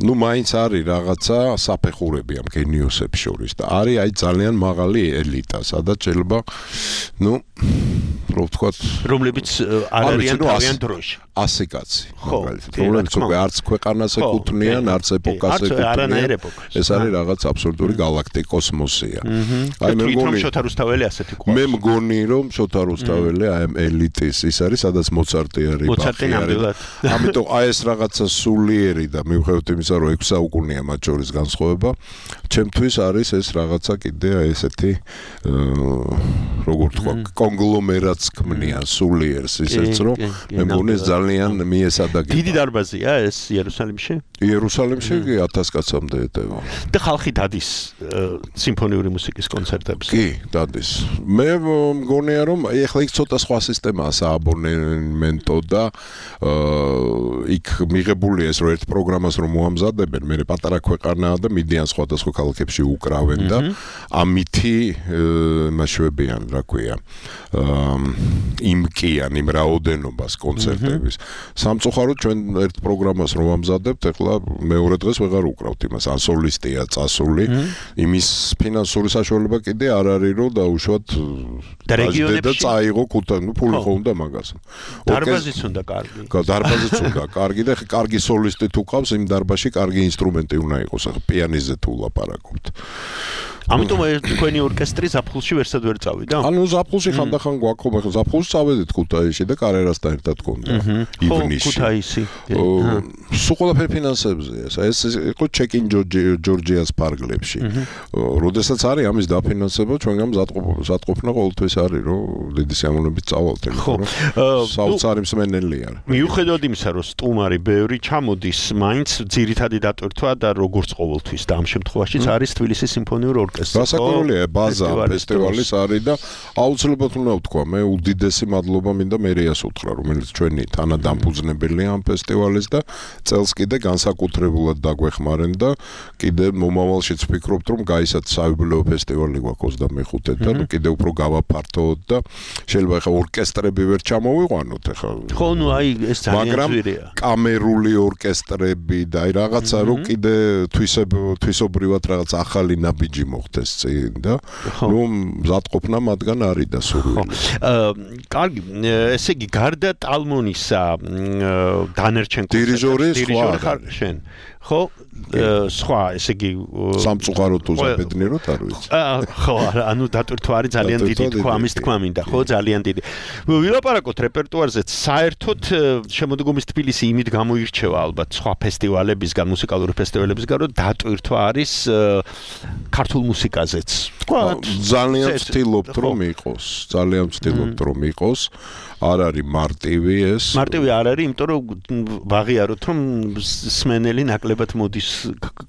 ნუ მაინც არის რაღაცა საფეხურები ამ გენიოსებს შორის და არის აი ძალიან მაღალი ელიტა სადაც შეიძლება ნუ რო ვთქვათ რომლებიც არ არიან თავიანთ დროში 100 კაცი რომლებიც უკვე არც ქვეყანას ეკუთვნიან არც ეპოქას ეკუთვნიან ეს არის რაღაც აბსოლუტური გალაქტიკა კოსმოსია აი მე მგონი შოთა რუსთაველი ასეთი ყავს მე მგონი რომ შოთა რუსთაველი აი ამ ელიტის ის არის სადაც მოცარტი არის მოცარტი ნამდვილად ამიტომ აი ეს რაღაცა სულიერი და მიუხედავად იმისა რომ 6 საუკუნეა მათ შორის განსხვავება ჩემთვის არის ეს რაღაცა კიდე აი ესეთი როგორ თქვა კონგლომერატს ქმნიან სულიერს ისეც რომ მე მგონი ძალიან მიესადაგება დიდი დარბაზია ეს იერუსალიმში იერუსალიმში 1000 კაცამდე ეტევა და ხალხი დადის სიმფონიური მუსიკის კონცერტებს კი დადის მე მგონია რომ ეხლა იქ ცოტა სხვა სისტემაა სააბონემენტო და იქ მიღებული ეს რომ ერთ პროგრამას რომ მოამზადებენ, მე პატარა ქვეყანაა და მიდიან სხვადასხვა ქალაქებში უკრავენ და ამითი მასშტაბიან, რა ქვია, იმკიან იმ რაოდენობას კონცერტების. სამწუხაროდ ჩვენ ერთ პროგრამას რომ ამზადებთ, ეხლა მეორე დღეს ვეღარ უკრავთ იმას, ან სოლისტია წასული, იმის ფინანსური საშუალება კიდე არ არის, რომ დაუშვათ და რეგიონებში წაიღო ფული ხო უნდა მაგას. დარბაზიც უნდა კარგი. დარბაზიც უნდა კარგი და კარგი სოლისტი თუ ყავს, იმ დარბაზში კარგი ინსტრუმენტი უნდა იყოს, ახლა პიანინოზე თუ ვლაპარაკობთ. ამიტომ თქვენი ორკესტრი ზაფხულში ვერსად ვერ წავიდა? ანუ ზაფხულში ხანდახან გვაქვს, ახლა ზაფხულში წავედით ქუთაისში და კარერასთან ერთად გქონდა ივნისში. ქუთაისი. სულ ყველაფერი ფინანსებზეა. ეს იყო ჩეკინ ჯორჯიას პარკლებში. როდესაც არის ამის დაფინანსება, ჩვენგან მზადყოფნა ყოველთვის არის, რომ დიდი სიამოვნებით წავალთ, იმიტომ რომ საოცარი მსმენელი არის. მიუხედავად იმისა, რომ სტუმარი ბევრი ჩამოდის, მაინც ძირითადი დატვირთვა და როგორც ყოველთვის და ამ შემთხვევაშიც არის თბილისის სიმფონიური ორკესტრი. გასაკურველია ბაზა ფესტივალის არის და აუცილებლად უნდა ვთქვა, მე უდიდესი მადლობა მინდა მერიას უთხრა, რომელიც ჩვენი თანადამფუძნებელია ამ ფესტივალის და წელს კიდე განსაკუთრებულად დაგვეხმარენ და კიდე მომავალშიც ვფიქრობთ, რომ გაისად საიუბილეო ფესტივალი გვაქვს 25-ე და კიდე უფრო გავაფართოვოთ და შეიძლება ახლა ორკესტრები ვერ ჩამოვიყვანოთ ახლა. ხო, ნუ აი ეს ძალიან ძვირია. კამერული ორკესტრები და აი რაღაცა რომ კიდე თვისობრივად რაღაც ახალი ნაბიჯი მოხდეს წინ და ნუ მზადყოფნა მათგან არის და სურვილი. კარგი, ესე იგი გარდა ტალმონისა დანერჩენ დირიჟორი ხარ შენ. ხო, სხვა, ესე იგი სამწუხაროდ თუ ზაბედნიეროდ არ ვიცი. ხო, ანუ დატვირთვა არის ძალიან დიდი თქვა, ამის თქვა მინდა, ხო, ძალიან დიდი. ვილაპარაკოთ რეპერტუარზე, საერთოდ შემოდგომის თბილისი იმით გამოირჩევა ალბათ სხვა ფესტივალებისგან, მუსიკალური ფესტივალებისგან, რომ დატვირთვა არის ქართულ მუსიკაზეც. ძალიან ვცდილობთ რომ იყოს, ძალიან ვცდილობთ რომ იყოს. არ არის მარტივი ეს. მარტივი არ არის, იმიტომ რომ ვაღიაროთ, რომ სმენელი ნაკლებად მოდის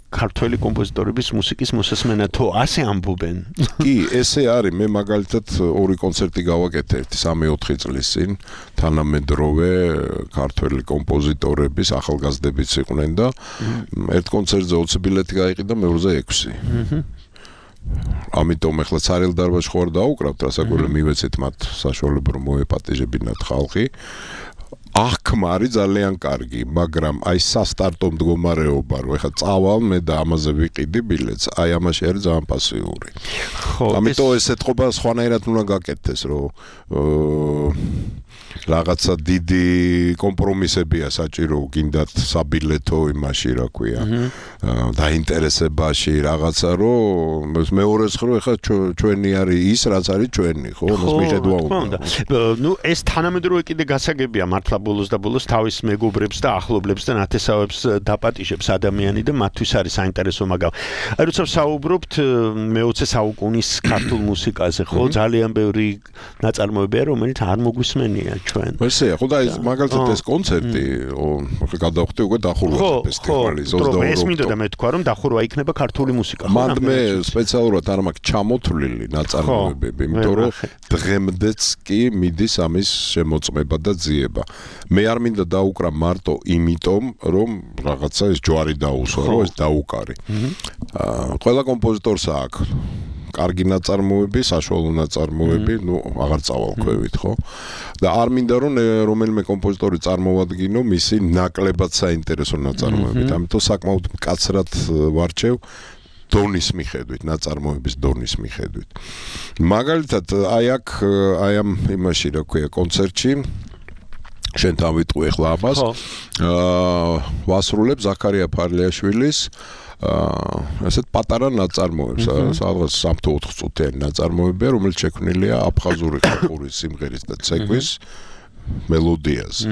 ქართველი კომპოზიტორების მუსიკის მოსასმენად, თუ ასე ამბობენ. კი, ესე არის. მე მაგალითად ორი კონცერტი გავაკეთე 3-4 წლის წინ, თანამედროვე ქართველი კომპოზიტორების ახალგაზრდებიც იყვნენ და ერთ კონცერტზე 20 ბილეთი გაიყიდა, მეორეზე 6. ამიტომ ახლა ცარიელ დარბაზში ხوار დაუკრავთ, რასაკვირველია მივეცეთ მათ საშუალება რომ მოეპატეჟებინათ ხალხი. აღქმა არის ძალიან კარგი, მაგრამ აი სასტარტო მდგომარეობა, რომ ახლა წავალ მე და ამაზე ვიყიდი ბილეთს, აი ამაში არის ძალიან პასიური. ხო, ამიტომ ეს ეთყობა სხვანაირად უნდა გაკეთდეს, რომ რაღაცა დიდი კომპრომისებია საჭირო, გინდათ საბილეთო იმაში, რა ქვია, დაინტერესებაში რაღაცა, რომ მეორეს ხრო ახლა ჩვენი არის ის, რაც არის ჩვენი, ხო, მას მიხედვა უნდა. ნუ ეს თანამედროვე კიდე გასაგებია, მართლა ბოლოს და ბოლოს თავის მეგობრებს და ახლობლებს და ნათესავებს დაპატიჟებს ადამიანი და მათთვის არის საინტერესო მაგალ. აი როცა საუბრობთ მე-20 საუკუნის ქართულ მუსიკაზე, ხო, ძალიან ბევრი ნაწარმოებია, რომელიც არ მოგვისმენია ჩვენ. ესეა, ხო და ეს მაგალითად ეს კონცერტი, გადავხვდი უკვე დახურვა ფესტივალის 22. ეს მინდოდა და მე თქვა რომ დახურვა იქნება ქართული მუსიკა. მანდ მე სპეციალურად არ მაქვს ჩამოთვლილი ნაწარმოებები, იმიტომ რომ დღემდეც კი მიდის ამის შემოწმება და ძიება. მე არ მინდა დაუკრა მარტო იმიტომ, რომ რაღაცა ეს ჯვარი დაუსვა, რომ ეს დაუკარი. ყველა კომპოზიტორს აქვს კარგი ნაწარმოები, საშუალო ნაწარმოები, ნუ აღარ წავალქვევით, ხო? და არ მინდა რომ რომელიმე კომპოზიტორი წარმოვადგინო მისი ნაკლებად საინტერესო ნაწარმოებით. ამიტომ საკმაოდ მკაცრად ვარჩევ დონის მიხედვით, ნაწარმოების დონის მიხედვით. მაგალითად, აი ამ იმაში, რა ქვია, კონცერტში შენთან ვიტყვი ახლა ამას. ვასრულებ ზაქარია ფარლიაშვილის ასეთ პატარა ნაწარმოებს, სადღაც 3-4 წუთიანი ნაწარმოებია, რომელიც შექმნილია აფხაზური ხალხური სიმღერის და ცეკვის მელოდიაზე.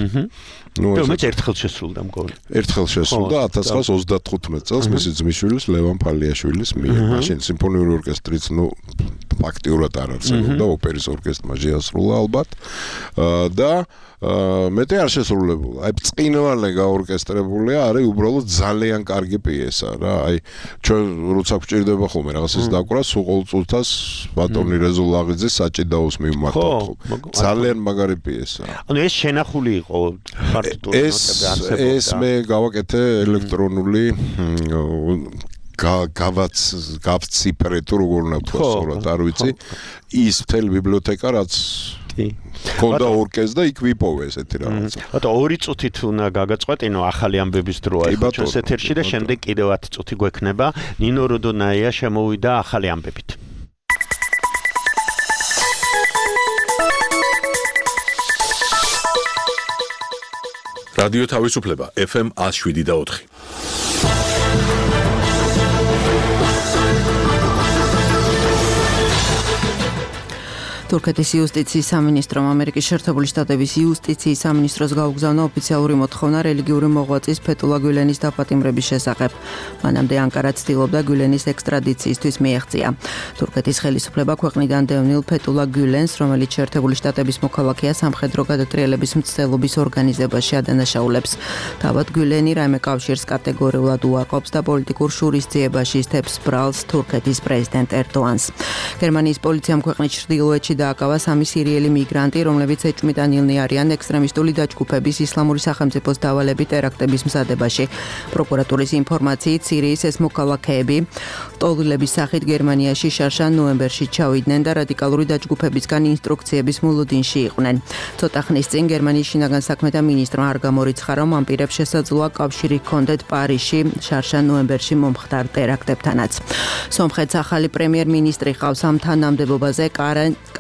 ნუ ეს ერთხელ შესრულდა მგონი. ერთხელ შესრულდა 1935 წელს მისი ძმისშვილის ლევან ფარლიაშვილის მიერ. მაშინ სიმფონიური ორკესტრიც, ნუ ფაქტიურად არ არსებობდა ოპერის ორკესტრმა შეასრულა ალბათ და მეტი არ შესრულებულა. აი წინვალე გაორკესტრებულია, არის უბრალოდ ძალიან კარგი პიესა რა. აი ჩვენ როცა გვჭირდება ხოლმე რაღაცას დაკვრა, სულ ყოველწუთას ბატონი რეზო ლაღიძის საჭიდაოს მივმართოთ. ძალიან მაგარი პიესაა. ანუ ეს შენახული იყო პარტიტურის ნოტები არსებობდა. ეს მე გავაკეთე ელექტრონული გავციფრე თუ როგორ უნდა თქვა სწორად არ ვიცი ის მთელი ბიბლიოთეკა რაც ქონდა ორკესტრ და იქ ვიპოვე ესეთი რაღაცა. ბატონო 2 წუთით უნდა გაგაწყვეტინო ახალი ამბების დროა ხო ჩვენს ეთერში და შემდეგ კიდევ 10 წუთი გვექნება. ნინო როდონაია შემოვიდა ახალი ამბებით. რადიო თავისუფლება FM 107.4. თურქეთის იუსტიციის სამინისტრომ ამერიკის შეერთებული შტატების იუსტიციის სამინისტროს გაუგზავნა ოფიციალური მოთხოვნა რელიგიური მოღვაწის ფეთულა გულენის დაპატიმრების შესახებ. მანამდე ანკარა ცდილობდა გულენის ექსტრადიციისთვის მიეღწია. თურქეთის ხელისუფლება ქვეყნიდან დევნილ ფეთულა გულენს, რომელიც შეერთებული შტატების მოქალაქეა, სამხედრო გადატრიალების მცდელობის ორგანიზებაში ადანაშაულებს. თავად გულენი რაიმე კავშირს კატეგორიულად უარყოფს და პოლიტიკურ შურისძიებაში ისთებს ბრალს თურქეთის პრეზიდენტ ერდოანს. გერმანიის პოლიციამ ქვეყნის ჩრდილოეთში დააკავა 3 სირიელი მიგრანტი, რომლებიც ეჭვმიტანილნი არიან ექსტრემისტული დაჯგუფების ისლამური სახელმწიფოს დავალებით ტერაქტების მზადებაში. პროკურატურის ინფორმაციით სირიის ეს მოქალაქეები ტოლილების სახით გერმანიაში შარშან ნოემბერში ჩავიდნენ და რადიკალური დაჯგუფებისგან ინსტრუქციების მოლოდინში იყვნენ. ცოტა ხნის წინ გერმანიის შინაგან საქმეთა მინისტრმა არ გამორიცხა, რომ ამ პირებს შესაძლოა კავშირი ჰქონდეთ პარიზში შარშან ნოემბერში მომხდარ ტერაქტებთანაც. სომხეთს ახალი პრემიერ-მინისტრი ყავს. ამ თანამდებობაზე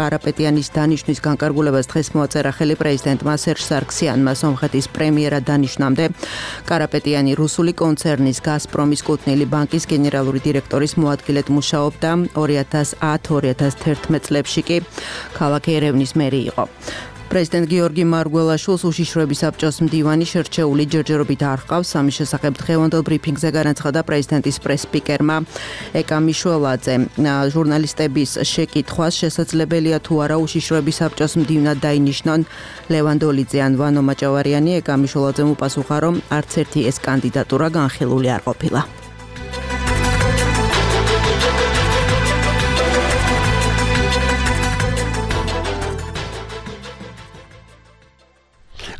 კარაპეტიანის დანიშვნის განკარგულებას დღეს მოაწერა ხელი პრეზიდენტმა სერჟ სარქსიანმა. სომხეთის პრემიერად დანიშვნამდე კარაპეტიანი რუსული კონცერნის გაზპრომის კუთვნილი ბანკის გენერალური დირექტორის მოადგილედ მუშაობდა. 2010-2011 წლებში კი ქალაქ ერევნის მერი იყო. პრეზიდენტ გიორგი მარგველაშვილს უშიშროების საბჭოს მდივანი შერჩეული ჯერჯერობით არ ჰყავს. ამის შესახებ დღევანდელ ბრიფინგზე განაცხადა პრეზიდენტის პრეს-სპიკერმა ეკა მიშველაძე. ჟურნალისტების შეკითხვას შესაძლებელია თუ არა უშიშროების საბჭოს მდივნად დაინიშნონ ლევან დოლიძე ან ვანო მაჭავარიანი, ეკა მიშველაძემ უპასუხა, რომ არც ერთი ეს კანდიდატურა განხილული არ ყოფილა.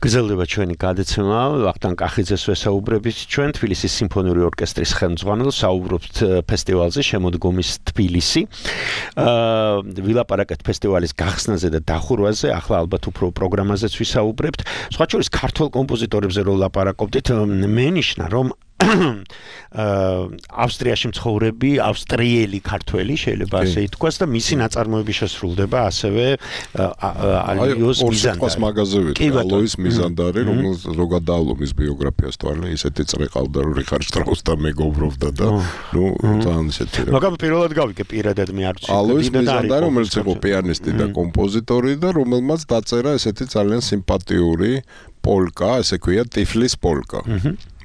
გრძელდება ჩვენი გადაცემა. ვახტანგ კახიძეს ვესაუბრებით ჩვენ თბილისის სიმფონიური ორკესტრის ხელმძღვანელს, საუბრობთ ფესტივალზე შემოდგომის თბილისი. ვილაპარაკეთ ფესტივალის გახსნაზე და დახურვაზე, ახლა ალბათ უფრო პროგრამაზეც ვისაუბრებთ. სხვა შორის ქართველ კომპოზიტორებზე რო ვლაპარაკობდით, მენიშნა რომ ავსტრიაში მცხოვრები ავსტრიელი ქართველი შეიძლება ასე ითქვას და მისი ნაწარმოები შესრულდება ასევე ალოის მიზანდარი. მაგაზე ვიტყვი ალოის მიზანდარი, რომელიც ზოგადად ალომის ბიოგრაფიას თვალე ისეთი წრეყავდა, რომ რიხარდ შტრაუსთან მეგობრობდა და ძალიან ისეთი. მაგრამ პირველად გავიგე პირადად მე არ ვცი. ალოის მიზანდარი, რომელიც იყო პიანისტი და კომპოზიტორი და რომელმაც დაწერა ესეთი ძალიან სიმპათიური პოლკა, ესე ქვია ტიფლის პოლკა.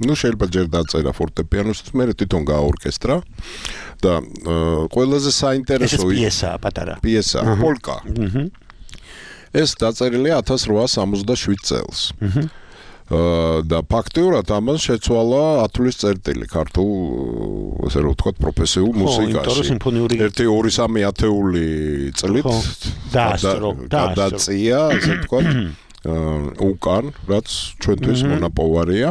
შეიძლება ჯერ დაწერა ფორტეპიანოსთვის, მე თვითონ გააორკესტრა და ყველაზე საინტერესო პიესაა, პატარა. პიესაა, პოლკა. ეს დაწერილია 1867 წელს. და ფაქტიურად ამან შეცვალა ათვლის წერტილი ქართულ, ასე რომ ვთქვათ, პროფესიულ მუსიკაში. 1-2-3 ათეული წლით გადაწია, ასე ვთქვათ, უკან, რაც ჩვენთვის მონაპოვარია.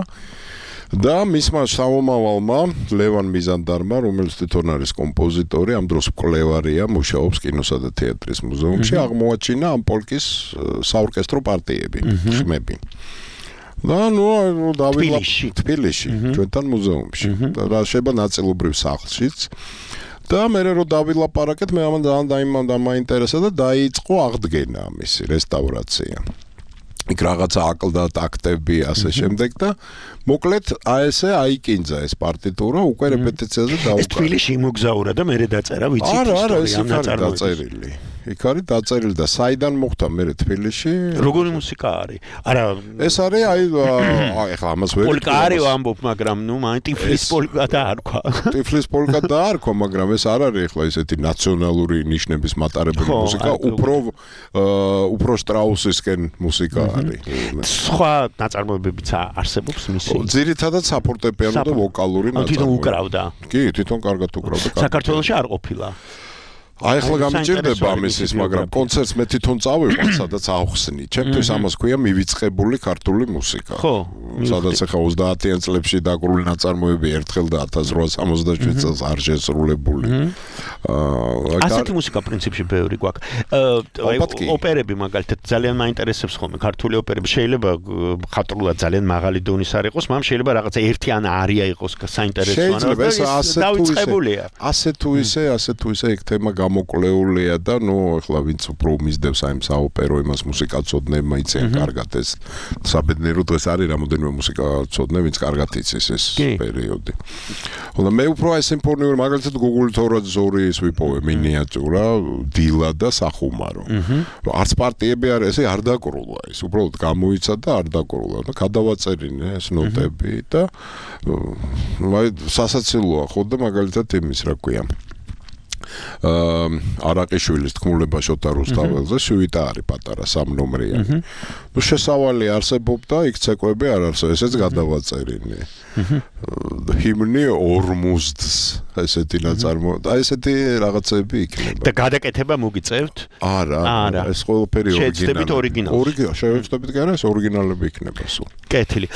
და მისმა სამომავალმა ლევან მიზანდარმა, რომელიც თვითონ არის კომპოზიტორი, ამ დროს მკვლევარია, მუშაობს კინოსა და თეატრის მუზეუმში, აღმოაჩინა ამ პოლკის საორკესტრო პარტიები, ხმები. და თბილისში, ჩვენთან მუზეუმში. და შეიძლება ნაწილობრივ სახლშიც. და მე რო დავილაპარაკეთ, მე ამან ძალიან დამაინტერესა და დაიწყო აღდგენა ამისი რესტავრაცია. იქ რაღაცა აკლდა ტაქტები ასე შემდეგ და მოკლედ ესე აიკინძა ეს პარტიტურა უკვე რეპეტიციაზე დაუკრა. ეს თბილისში იმოგზაურა და მერე დაწერა, ვიცით ისტორია ამ ნაწარმოების. დაწერილი. იქ არის დაწერილი და საიდან მოხდა მე თბილისში? როგორი მუსიკა არის? არა, ეს არის ეხლა ამას ვერ პოლკა არის ამბობ, მაგრამ მაინც ტიფლის პოლკა დაარქვა. ტიფლის პოლკა დაარქვა, მაგრამ ეს არ არის ეხლა ესეთი ნაციონალური ნიშნების მატარებელი მუსიკა, უფრო შტრაუსისკენ მუსიკა არის. სხვა ნაწარმოებებიც არსებობს მისი? ძირითადად საფორტეპიანო და ვოკალური ნაწარმოები. თვითონ უკრავდა. კი, თვითონ კარგად უკრავდა. საქართველოში არ ყოფილა. ახლა გამიჭირდება ამისის, მაგრამ კონცერტს მე თვითონ წავიყვან, სადაც ავხსნი. ჩემთვის ამას ქვია მივიწყებული ქართული მუსიკა. ხო, სადაც ახლა 30-იან წლებში დაკრული ნაწარმოები ერთხელ და 1867 წელს არ შესრულებული. ასეთი მუსიკა პრინციპში ბევრი გვაქვს. ოპერები მაგალითად ძალიან მაინტერესებს ხოლმე ქართული ოპერები. შეიძლება ხატრულად ძალიან მაღალი დონის არ იყოს, მაგრამ შეიძლება რაღაცა ერთი ან არია იყოს საინტერესო ან დაიწყებულია. ასე თუ ისე ეგ თემა გამოკვლეულია და ახლა ვინც უფრო მისდევს აი საოპერო იმას მუსიკაცოდნებმა იციან კარგად ეს საბედნიერო დღეს არის რამოდენიმე მუსიკაცოდნე ვინც კარგად იცის ეს პერიოდი. ხოლო მე უფრო აი სიმფონიური მაგალითად გუგული თორაძორის ვიპოვე მინიატურა დილა და სახუმარო. არც პარტიები არ ესე არ დაკრულა ეს უბრალოდ გამოიცა და არ დაკრულა და გადავაწერინე ეს ნოტები და აი სასაცილოა ხო და მაგალითად იმის რა ქვია არაყიშვილის თქმულება შოთა რუსთაველზე სუიტა არის პატარა 3 ნომრიანი. ნუ შესავალი არსებობდა, იქ ცეკვები არ არსებობს, ესეც გადავაწერინე. ჰიმნი ორმუზდს ესეთი ნაწარმოები. აი ესეთი რაღაცები იქნება. და გადაკეთება მოგიწევთ? არა, ეს ყველაფერი ორიგინალი. შევეცდებით კი არა, ეს ორიგინალები იქნება სულ. კეთილი.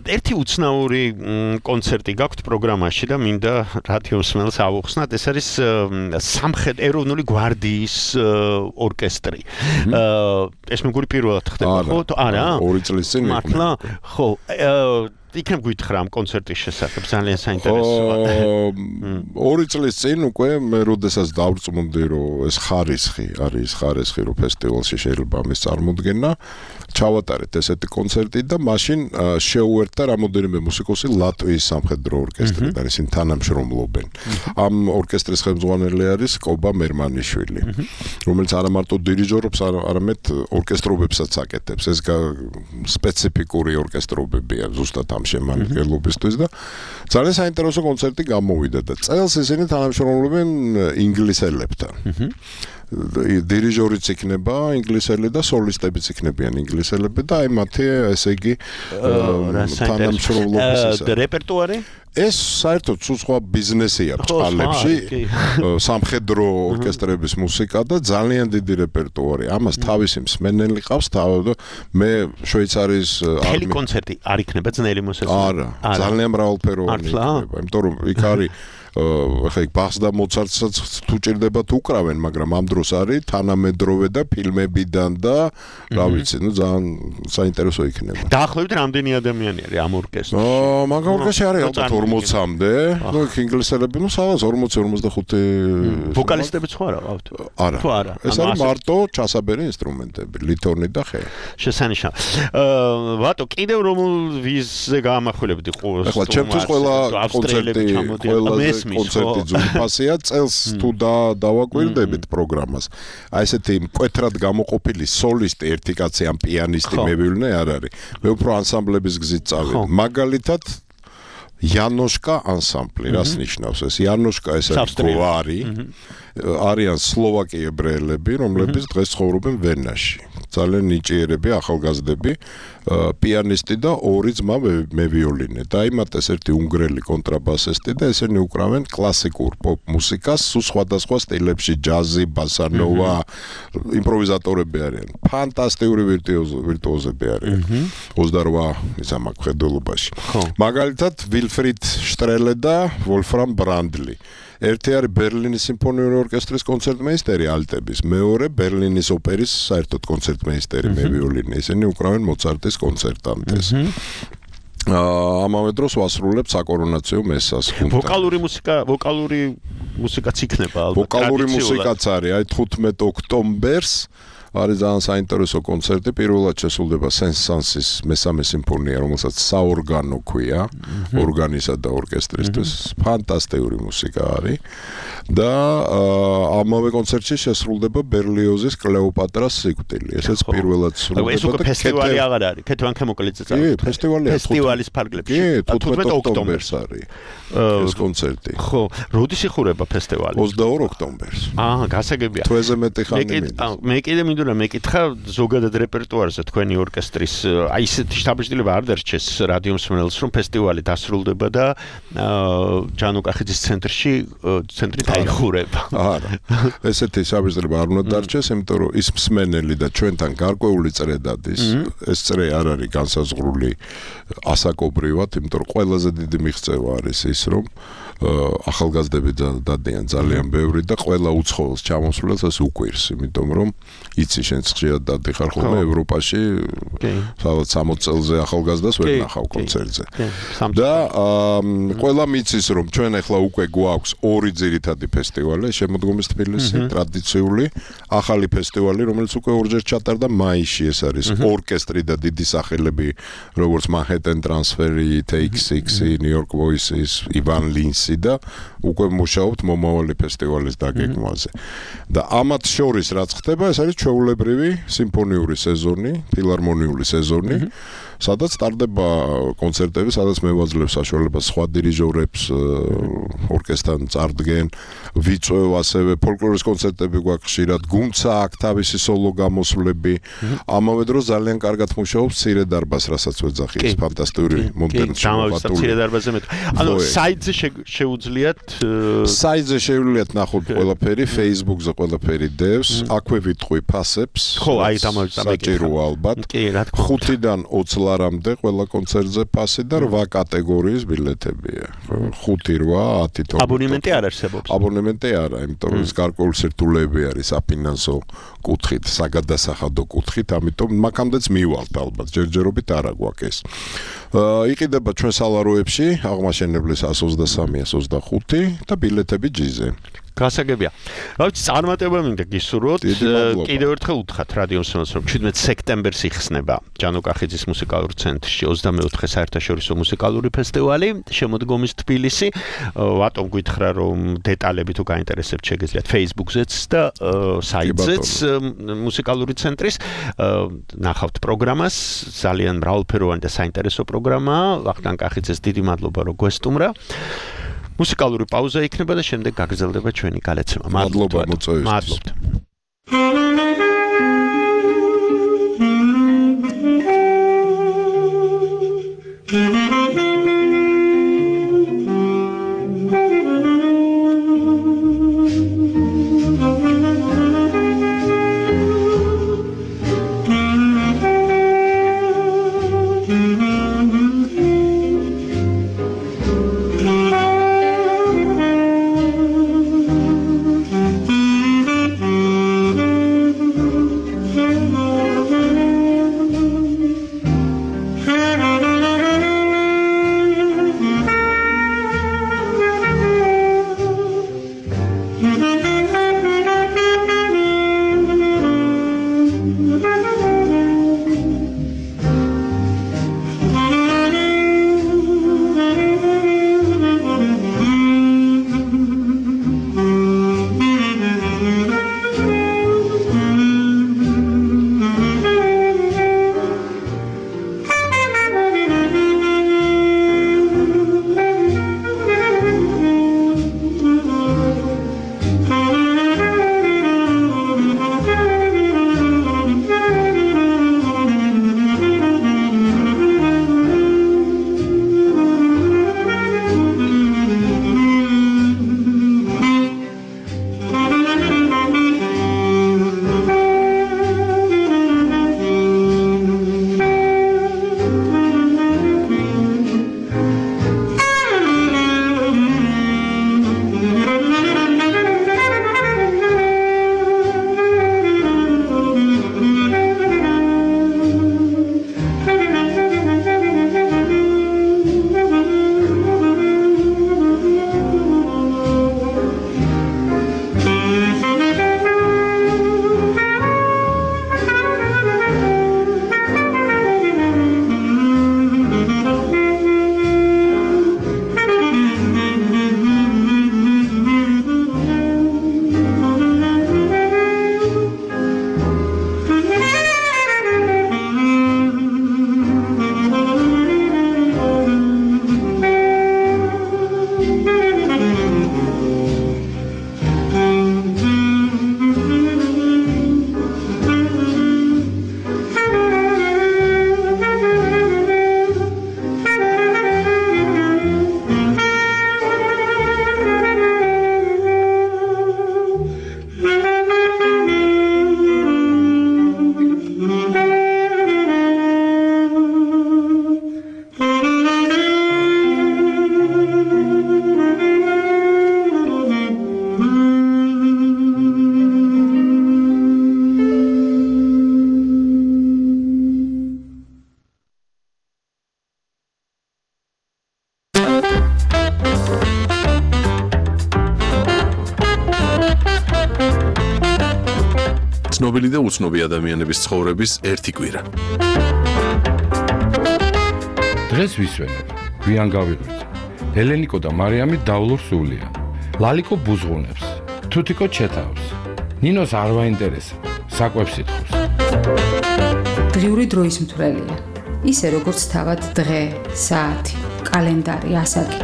ერთი უცნაური კონცერტი გაქვთ პროგრამაში და მინდა რადიო მსმენელს ავუხსნათ, ეს არის სამხედრო ეროვნული გვარდიის ორკესტრი. ეს მეგორი პირველად ხდება, ხო? არა. 2 წლის წინ მართლა? ხო. იქნებ გითხრა ამ კონცერტის შესახებ, ძალიან საინტერესოა. 2 წლის წინ უკვე მე როდესაც დავწმუნდი, რომ ეს ხარისხი არის ხარისხი, რომ ფესტივალში შეიძლება ამის წარმოდგენა, ჩავატარეთ ესეთი კონცერტი და მაშინ შეუერთდა რამოდენიმე მუსიკოსი ლატვიის სამხედრო ორკესტრიდან, ისინი თანამშრომლობენ. ამ ორკესტრის ხელმძღვანელი არის კობა მერმანიშვილი, რომელიც არა მარტო დირიჟორობს, არამედ ორკესტრობებსაც აკეთებს. ეს სპეციფიკური ორკესტრობებია ზუსტად ამ შემადგენლობისთვის და ძალიან საინტერესო კონცერტი გამოვიდა და წელს ისინი თანამშრომლობენ ინგლისელებთან. დირიჟორიც იქნება ინგლისელი და სოლისტებიც იქნებიან ინგლისელები და აი მათი ესე იგი თანამშრომლობის რეპერტუარი ეს საერთოდ სხვა ბიზნესია ბჭყალებში სამხედრო ორკესტრების მუსიკა და ძალიან დიდი რეპერტუარი. ამას თავისი მსმენელი ყავს და მე შვეიცარიის არმია კონცერტი არ იქნება ძნელი მოსასწრაფო. არა, ძალიან მრავალფეროვანი იქნება, იმიტომ რომ იქ არის ახლა იქ ბახს და მოცარტსაც თუ ჭირდებათ უკრავენ, მაგრამ ამ დროს არის თანამედროვე და ფილმებიდან და რა ვიცი, ნუ ძალიან საინტერესო იქნება. დაახლოებით რამდენი ადამიანი არის ამ ორკესტრში? მაგ ორკესტრში არის ალბათ 40-მდე. ნუ იქ ინგლისელები, ნუ სადღაც 40-45 ვოკალისტებიც ხო არა ყავთ? არა. თუ არა. ეს არის მარტო ჩასაბერი ინსტრუმენტები, ლითორნი და ხე. შესანიშნავი. ვატო, კიდევ რომელ ვიზზე გაამახვილებდი ყურს? ახლა ჩემთვის ყველა კონცერტი ყველაზე კონცერტი ძვირფასია, წელს თუ დავაკვირდებით პროგრამას. აი ესეთი მკვეთრად გამოყოფილი სოლისტი ერთი კაცი ან პიანისტი მევივლნე არ არის. მე უფრო ანსამბლების გზით წავედი. მაგალითად იანოშკა ანსამბლი, რას ნიშნავს ეს? იანოშკა ეს არის გვარი. არიან სლოვაკი ებრაელები, რომლებიც დღეს ცხოვრობენ ვენაში. ძალიან ნიჭიერები, ახალგაზრდები, პიანისტი და 2 ძმა მევიოლინე. დაიმატეს ერთი უნგრელი კონტრაბასისტი და ესენი უკრავენ კლასიკურ პოპ მუსიკას, სხვადასხვა სტილებში, ჯაზი, ბასანოვა, იმპროვიზატორები არიან. ფანტასტიკური ვირტუოზები არიან. 28 ისა მაგ ხედულობაში. მაგალითად, ვილფრიდ შტრელე და ვოლფრამ ბრანდლი. ერთი არის ბერლინის სიმფონიური ორკესტრის კონცერტმეისტერი ალტების, მეორე ბერლინის ოპერის საერთოდ კონცერტმეისტერი მევიოლინე. ისინი უკრავენ მოცარტის კონცერტანტეს. ამავე დროს ვასრულებ საკორონაციო მესას. ვოკალური მუსიკაც იქნება ალბათ. ვოკალური მუსიკაც არის, აი 15 ოქტომბერს არის ძალიან საინტერესო კონცერტი. პირველად შესრულდება სენ-სანსის მესამე სიმფონია, რომელსაც საორგანო ქვია, ორგანისა და ორკესტრისთვის. ფანტასტიკური მუსიკა არის. და ამავე კონცერტში შესრულდება ბერლიოზის კლეოპატრას სიკვდილი. ესეც პირველად სრულდება. ეს უკვე ფესტივალი აღარ არის. ქეთევან ქემოკლიძე წავიდა. კი, ფესტივალია. ფესტივალის ფარგლებში. 15 ოქტომბერს არის ეს კონცერტი. ხო, როდის იხურება ფესტივალი? 22 ოქტომბერს. გასაგებია. თვეზე მეტი ხანი მინდა. მე კიდე მინდოდა მეკითხა ზოგადად რეპერტუარზე თქვენი ორკესტრის აი ესეთი შთაბეჭდილება არ დარჩეს რადიო მსმენელს რომ ფესტივალი დასრულდება და ჯანუკახიძის ცენტრი დაიხურება. არა. ესეთი შთაბეჭდილება არ უნდა დარჩეს, იმიტომ რომ ის მსმენელი და ჩვენთან გარკვეული წრე დადის. ეს წრე არ არის განსაზღვრული ასაკობრივად, იმიტომ რომ ყველაზე დიდი მიღწევა არის ის რომ ახალგაზრდები დადიან ძალიან ბევრი და ყველა უცხოელს ჩამოსვლელს ეს უკვირს, იმიტომ რომ იცი შენ ხშირად დადიხარ ხოლმე ევროპაში, სადაც 60 წელზე ახალგაზრდას ვერ ნახავ კონცერტზე. და ყველა მიცის რომ ჩვენ ახლა უკვე გვაქვს ორი ძირითადი ფესტივალი, შემოდგომის თბილისი, ტრადიციული, ახალი ფესტივალი, რომელიც უკვე ორჯერ ჩატარდა მაისში, ეს არის ორკესტრი და დიდი სახელები, როგორც Manhattan Transfer, Take Six, New York Voices, Ivan Lins და უკვე მუშაობთ მომავალი ფესტივალის დაგეგმვაზე. და ამათ შორის რაც ხდება, ეს არის ჩვეულებრივი სიმფონიური სეზონი, ფილარმონიული სეზონი, სადაც ტარდება კონცერტები, სადაც მევაძლევს საშუალებას სხვა დირიჟორებს ორკესტრთან წარდგენ, ვიწვევ ასევე ფოლკლორის კონცერტები გვაქვს ხშირად, გუნდსა აქვს თავისი სოლო გამოსვლები. ამავე დროს ძალიან კარგად მუშაობს მცირე დარბაზს, რასაც ვეძახი, ეს ფანტასტიკური მოდერნი შემოღებული. მცირე დარბაზზე მეტყვი. ანუ საიტზე შეუძლიათ საიტზე შეუძლიათ ნახოთ ყველაფერი, Facebook-ზე ყველაფერი დევს, აქვე ვიტყვი ფასებს. ხო, აი საჭიროა ალბათ. 5-დან 20 ლარამდე ყველა კონცერტზე ფასი და 8 კატეგორიის ბილეთებია. 5-8, 10 12. აბონემენტი არ არსებობს. აბონემენტი არა, იმიტომ რომ ეს გარკვეული სირთულეები არის საფინანსო კუთხით, საგადასახადო კუთხით, ამიტომ მაგამდეც მივალთ ალბათ, ჯერჯერობით არა გვაქვს ეს. იყიდება ჩვენ სალაროებში, აღმაშენებლის 123, 125 და ბილეთები ჯიზე. გასაგებია. რა ვიცი, წარმატება მინდა გისურვოთ. კიდევ ერთხელ უთხრათ რადიო მსმენელს, რომ 17 სექტემბერს იხსნება ჯანუკახიძის მუსიკალურ ცენტრში 24 საერთაშორისო მუსიკალური ფესტივალი, შემოდგომის თბილისი. ვატომ გითხრა, რომ დეტალები თუ გაინტერესებთ, შეგეძლიათ Facebook-ზეც და საიტზეც მუსიკალური ცენტრის. ნახავთ პროგრამას, ძალიან მრავალფეროვანი და საინტერესო პროგრამაა. ვახტანგ კახიძეს დიდი მადლობა, რომ გვესტუმრა. მუსიკალური პაუზა იქნება და შემდეგ გაგრძელდება ჩვენი გალეცება. მადლობა მოწვევისთვის. მადლობთ. ცნობილი და უცნობი ადამიანების ცხოვრების ერთი კვირა. დღეს ვისვენებ, გვიან გავიღვიძე. ელენიკო და მარიამი დავლობს სულია. ლალიკო ბუზღუნებს, თუთიკო ჩეთავს. ნინოს არ ვაინტერესებს, საკვებს ითხოვს. დღიური დროის მთვრელია. ისე როგორც თავად დღე, საათი, კალენდარი, ასაკი.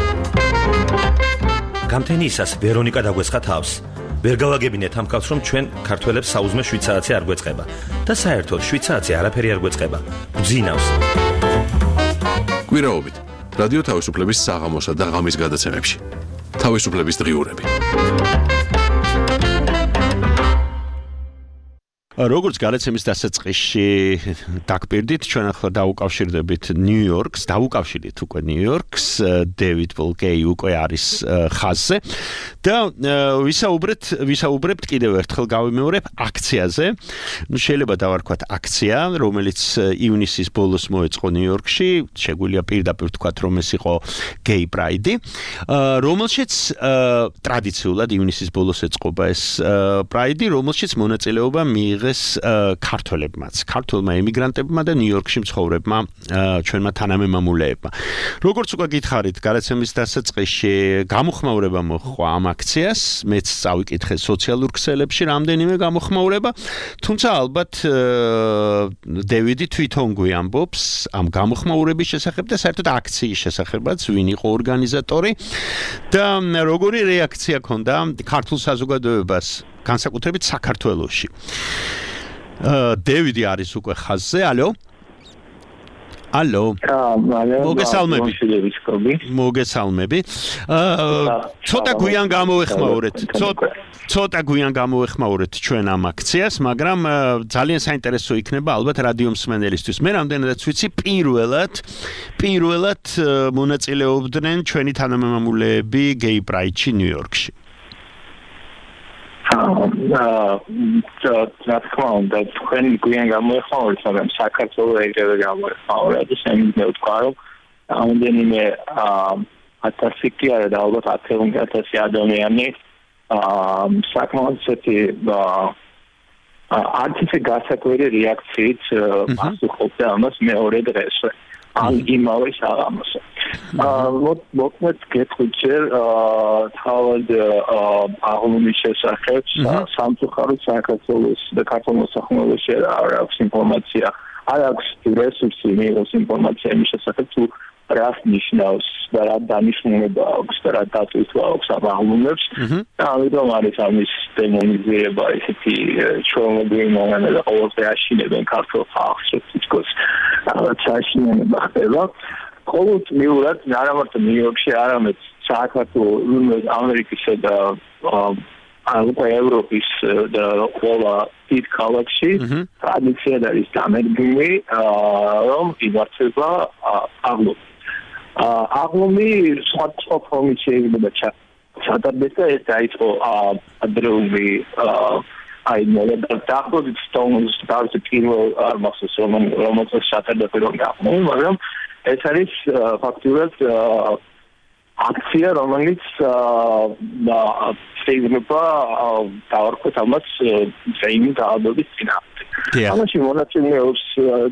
გამთენიისას ვერონიკა დაგვესხა თავს. ვერ გავაგებინეთ ამ კაცს, რომ ჩვენ ქართველებს საუზმე შვიცარიცი არ გვეწყება და საერთოდ შვიცარიცი არაფერი არ გვეწყება. გძინავს. კვირაობით რადიო თავისუფლების საღამოსა და ღამის გადაცემებში. თავისუფლების დღიურები. როგორც გადაცემის დასაწყისში დაგპირდით, ჩვენ ახლა დაუკავშირდებით ნიუ-იორკს, დაუკავშირდით უკვე ნიუ-იორკს, დევიდ ბოლკეი უკვე არის ხაზზე და ვისაუბრებთ კიდევ ერთხელ გავიმეორებ აქციაზე. შეიძლება დავარქვათ აქცია, რომელიც ივნისის ბოლოს მოეწყო ნიუ-იორკში, შეგვიძლია პირდაპირ ვთქვათ, რომ ეს იყო გეი პრაიდი, რომელშიც ტრადიციულად ივნისის ბოლოს ეწყობა ეს პრაიდი, რომელშიც მონაწილეობა მიიღეს ქართველებმაც, ქართველმა ემიგრანტებმა და ნიუ-იორკში მცხოვრებმა ჩვენმა თანამემამულეებმა. როგორც უკვე გითხარით, გადაცემის დასაწყისში გამოხმაურება მოჰყვა ამ აქციას, მეც წავიკითხე სოციალურ ქსელებში რამდენიმე გამოხმაურება, თუმცა ალბათ დევიდი თვითონ გვიამბობს ამ გამოხმაურების შესახებ და საერთოდ აქციის შესახებაც, ვინ იყო ორგანიზატორი და როგორი რეაქცია ჰქონდა ქართულ საზოგადოებას, განსაკუთრებით საქართველოში. დევიდი არის უკვე ხაზზე, ალო? ალო. მოგესალმები. ცოტა გვიან გამოვეხმაურეთ ჩვენ ამ აქციას, მაგრამ ძალიან საინტერესო იქნება ალბათ რადიო მსმენელისთვის. მე რამდენადაც ვიცი, პირველად მონაწილეობდნენ ჩვენი თანამემამულეები გეი პრაიდში ნიუ-იორკში. რა თქმა უნდა, თქვენი გვიან გამოეხმაურეთ, მაგრამ საქართველოს ეგრევე გამოეხმაურა და შემიძლია ვთქვა, რომ რამდენიმე 1000 კი არა და ალბათ 10,000 ადამიანი საკმაოდ ისეთი არც ისე გასაკვირი რეაქციით პასუხობდა ამას მეორე დღესვე. ან იმავე საღამოსა. მოკლედ გეტყვით ჯერ თავად აღლუმის შესახებ სამწუხაროდ საქართველოს და ქართულ მოსახლეობაში არ აქვს ინფორმაცია, არ აქვს რესურსი მიიღოს ინფორმაცია იმის შესახებ თუ რას ნიშნავს და რა დანიშნულება აქვს და რა დატვირთვა აქვს ამ აღლუმებს. ამიტომ არის ამის დემონიზება, ისეთი ჩვეულებრივი მომენტი და ყოველდღე აშინებენ ქართულ ხალხს, თითქოს რაღაც აშინება ხდება. ყოველდღიურად არა მარტო ნიუ-იორკში, არამედ საქართველოს, ამერიკისა და უკვე ევროპის და ყველა დიდ ქალაქში ტრადიციად არის დამერგილი, რომ იმართება აღლუმი. აღლუმი სხვადასხვა ფორმით შეიძლება ჩატარდეს და ეს დაიწყო ადრეული დაახლოებით სტოუნს დავით პირველ არმახსოვს რომელსაც ჩატარდა პირველი აღლუმი, მაგრამ ეს არის ფაქტურად აქცია, რომელიც შეიძლება დავარქვათ ამას ზეიმი დაავადების წინააღმდეგ. ამაში მონაწილეობს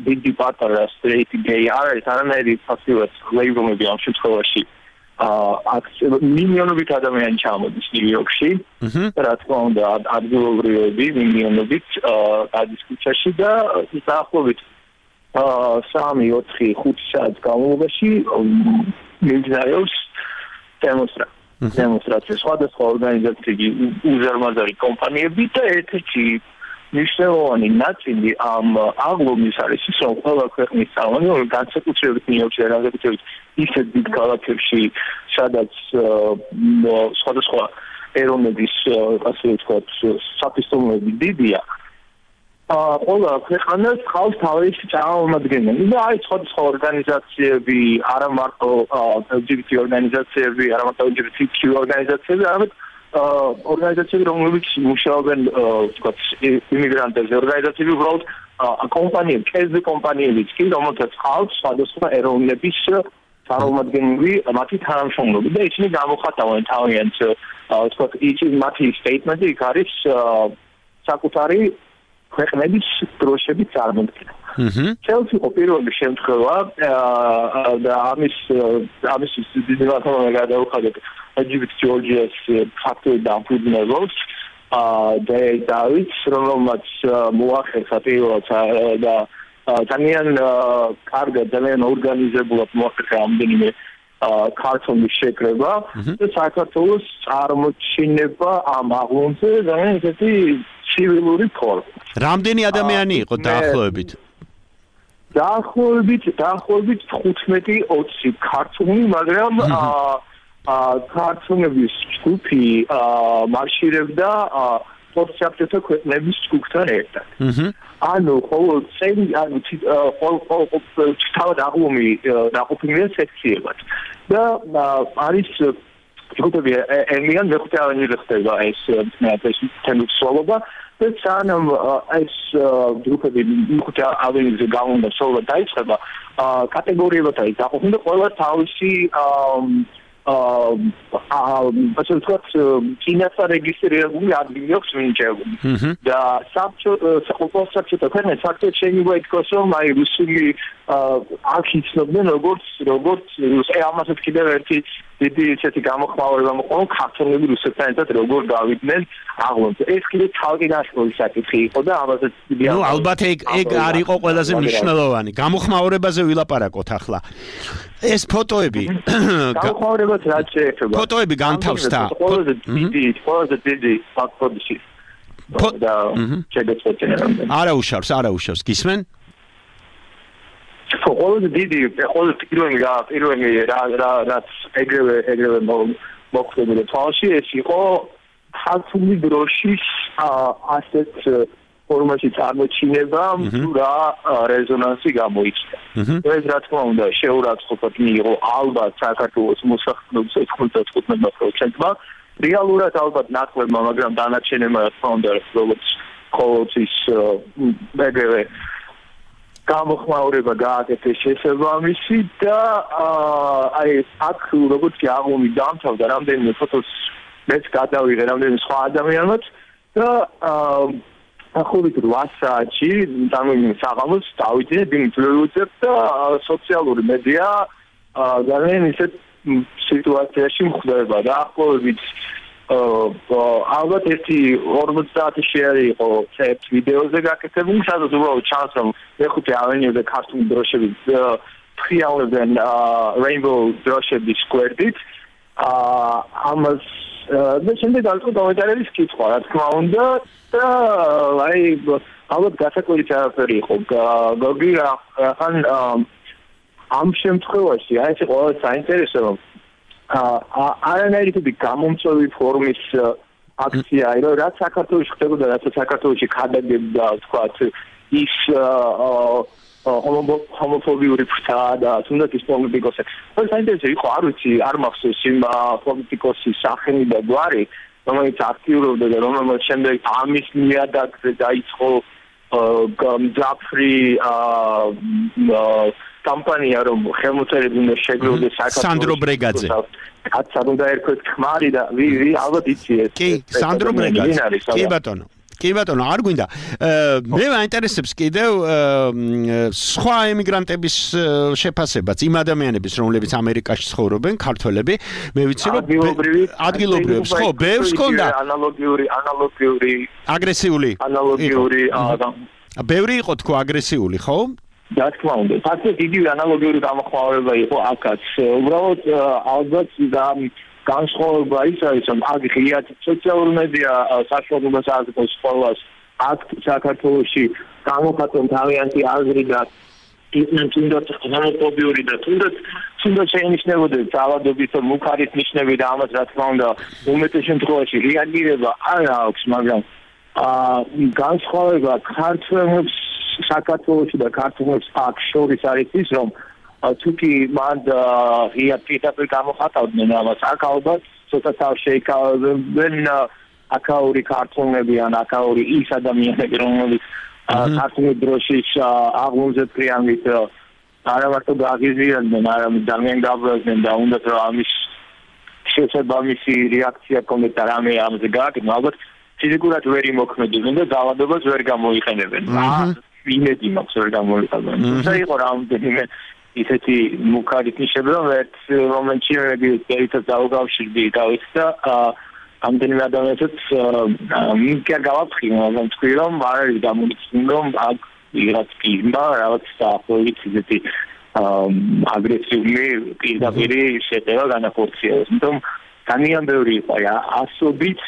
დიდი პატარა სტრეიტი გეი არ არის არანაირი ფაქტურად ლეიბლები ამ შემთხვევაში მილიონობით ადამიანი ჩამოდის ნიუ-იორკში, რა თქმა უნდა ადგილობრივები მილიონობით დისკუსიაში და დაახლოებით 3-4-5 საათის განმავლობაში მიმდინარეობს დემონსტრაცია სხვადასხვა ორგანიზაციები, უზარმაზარი კომპანიები და ერთ-ერთი მნიშვნელოვანი ნაწილი ამ აღლუმის არის ის, რომ ყველა ქვეყნის წარმომადგენლები, განსაკუთრებით ნიუ-იორკში და განსაკუთრებით ისეთ დიდ ქალაქებში, სადაც სხვადასხვა ეროვნების, ასე ვთქვათ, საფისტომოები დიდია, ყველა ქვეყანას ხავს თავისი წარმომადგენელი და არის სხვადასხვა ორგანიზაციები, არა მარტო LGBT ორგანიზაციები, არა მარტო LGBTQ ორგანიზაციები, არამედ ორგანიზაციები, რომლებიც მუშაობენ, ვთქვათ, იმიგრანტებზე, ორგანიზაციები უბრალოდ კომპანიები, კერძო კომპანიებიც კი, რომელთაც ხავს სხვადასხვა ეროვნების წარმომადგენლები, მათი თანამშრომლები და ისინი გამოხატავენ თავიანთ, ვთქვათ, მათი სტეიტმენტი იქ არის საკუთარი ქვეყნების დროშების წარმოქმნა. Chelsea იყო პირველი შემთხვევა და ამის დიდებმა გადაუხადეთ Egypt Georgia's factory დამფუძნებელს დავითს რომელმაც მოახერხა პირველად და ძალიან კარგად ძალიან ორგანიზებულად მოახერხა ამდენიმე ქართული შეკრება და საქართველოს წარმოჩინება ამ აღლომზე ძალიან ესეთი ცივილური ფორმა. რამდენი ადამიანი იყო დაახლოებით? დაახლოებით 15-20 ქართული, მაგრამ ქართულების ჯგუფი მარშირებდა სპორტსაფრთა ქვეყნების ჯგუფთან ერთად. ანუ ყოველ წელი თავად აღლომი დაყოფილია სექციებად და არის ჯგუფები ემიან მეხუთე ავენიზე ხდება ეს თემისვლობა და სანამ ეს ჯგუფები მეხუთე ავენიზე გამონდა სოლა დაიწყება კატეგორიებად არის დაყოფილი და ყველა თავისი ასე ვთქვათ, წინასწარ რეგისტრირებული ადგილი აქვს მინიჭებული. და საბჭოთა ქვეყნებს ფაქტობრივად შეიძლება ითქვას, რომ აი რუსული აქ იცნობდნენ როგორც ამასაც კიდევ ერთი დიდი ისეთი გამოხმაურება მოყვა, ქართველები რუსეთთან ერთად როგორ გავიდნენ აღლომზე. ეს კიდევ თავგადასავალი საკითხი იყო და ამასაც დიდი ალბათ ეგ არ იყო ყველაზე მნიშვნელოვანი. გამოხმაურებაზე ვილაპარაკოთ ახლა. ეს ფოტოები გამოხმაურებას რაც შეეხება ფოტოები განთავსდა ყველაზე დიდი ფაქტობრივი და შეგეცვალა არა უშავს გისმენ ყველაზე დიდი პირველი რაც ეგრევე მოხდებოდა თვალში ეს იყო ქართული დროშის ასეთ ფორმაში წარმოჩინება რა რეზონანსი გამოიწვია. ეს რა თქმა უნდა შეურაცხყოფად მიიღო ალბათ საქართველოს მოსახლეობის 95%-მა, რეალურად ალბათ ნაკლებმა, მაგრამ დანარჩენებმა რა თქმა უნდა როგორც ყოველთვის ეგრევე გამოხმაურება გააკეთეს შესაბამისი და აი აქ როგორც კი აღლომი დამთავრდა რამდენიმე ფოტოს მეც გადავიღე რამდენიმე სხვა ადამიანებს და ახობით 8 საათში საღამოს დავიძინე ბინძლუძებ და სოციალური მედია ძალიან ისეთ სიტუაციაში მხდება და ახობით ალბათ ერთი 50 შეერი იყო ერთ ვიდეოზე გაკეთებული სადაც უბრალოდ ჩანს რომ მეხუთე ავენიუზე ქართული დროშები ფრიალებენ rainbow დროშების გვერდით ამას და შემდეგ ალკო დავედარების კითხვა რა თქმა უნდა და აი ალბათ გასაკვირი არაფერი იყო გოგი ან ამ შემთხვევაში აი ეს ყველა საინტერესო რომ არანაირი ტიპი გამომწვევი ფორმის აქცია იყო რაც საქართველოში ხდებოდა რაც საქართველოში ხადაგებდა თქვათ ის homofobიური ფრთა და თუნდაც ის პოლიტიკოსები. ეს საინტერესო იყო, არ ვიცი, არ მახსოვს იმ პოლიტიკოსის სახელი და გვარი, რომელიც აქტიურობდა და რომელმაც შემდეგ ამის ნიადაგზე დაიწყო მძაფრი კამპანია, რომ ხელმოწერები უნდა შეგროვდეს საქართველოს. სანდრო ბრეგაძე. კაცად უნდა ერქვეთ ხმარი და ვი ალბათ იცი ეს. კი, სანდრო ბრეგაძე. კი ბატონო, არ გვინდა. მე მაინტერესებს კიდევ სხვა ემიგრანტების შეფასებაც, იმ ადამიანების, რომლებიც ამერიკაში ცხოვრობენ, ქართველები, მე ვიცი რომ ადგილობრივებს, ხო, ბევრს ჰქონდა ანალოგიური აგრესიული. ანალოგიური ბევრი იყო თქო აგრესიული, ხო? რა თქმა უნდა, ფაქტობრივად იგივე ანალოგიური გამოხმაურება იყო აქაც. უბრალოდ ალბათ და განსხვავება ის არის, რომ აქ ღიად სოციალური მედია საშუალებას აძლევს ყველას აქ საქართველოში გამოხატონ თავიანთი აზრი და ისინი თუნდაც ჰომოფობიური და თუნდაც შეინიშნებოდნენ ძალადობის და მუქარის ნიშნები და ამას რა თქმა უნდა უმეტეს შემთხვევაში რეაგირება არ აქვს, მაგრამ განსხვავება ქართველებს საქართველოში და ქართველებს აქ შორის არის ის, რომ თუკი მან ღიად პირდაპირ გამოხატავდნენ ამას აქ ალბათ ცოტა თავ შეიკავებენ აქაური ქართველები ან აქაური ის ადამიანები რომლებიც ქართული დროშის აღლომზე ფრიალით არა მარტო გაღიზიანდნენ არამედ ძალიან გაბრაზდნენ და უნდათ რომ ამის შესაბამისი რეაქცია კონკრეტად რამე ამაზე გააკეთონ ალბათ ფიზიკურად ვერ იმოქმედებენ და დაავადებას ვერ გამოიყენებენ. იმედი მაქვს ვერ გამოიყენებენ. თუმცა იყო რამდენიმე ისეთი მუქარი ნიშნები, რომ ერთ მომენტში მე ერთად დავუკავშირდი დავით და რამდენიმე ადამიანსაც მიგერ გავაფრთხილე, მაგრამ თქვი რომ არ არის გამომიწვი რომ აქ ვიღაც პირმა რაღაც დაახლოებით ისეთი აგრესიული პირდაპირი შეტევა განახორციელოს. იმიტომ ძალიან ბევრი იყო ასობით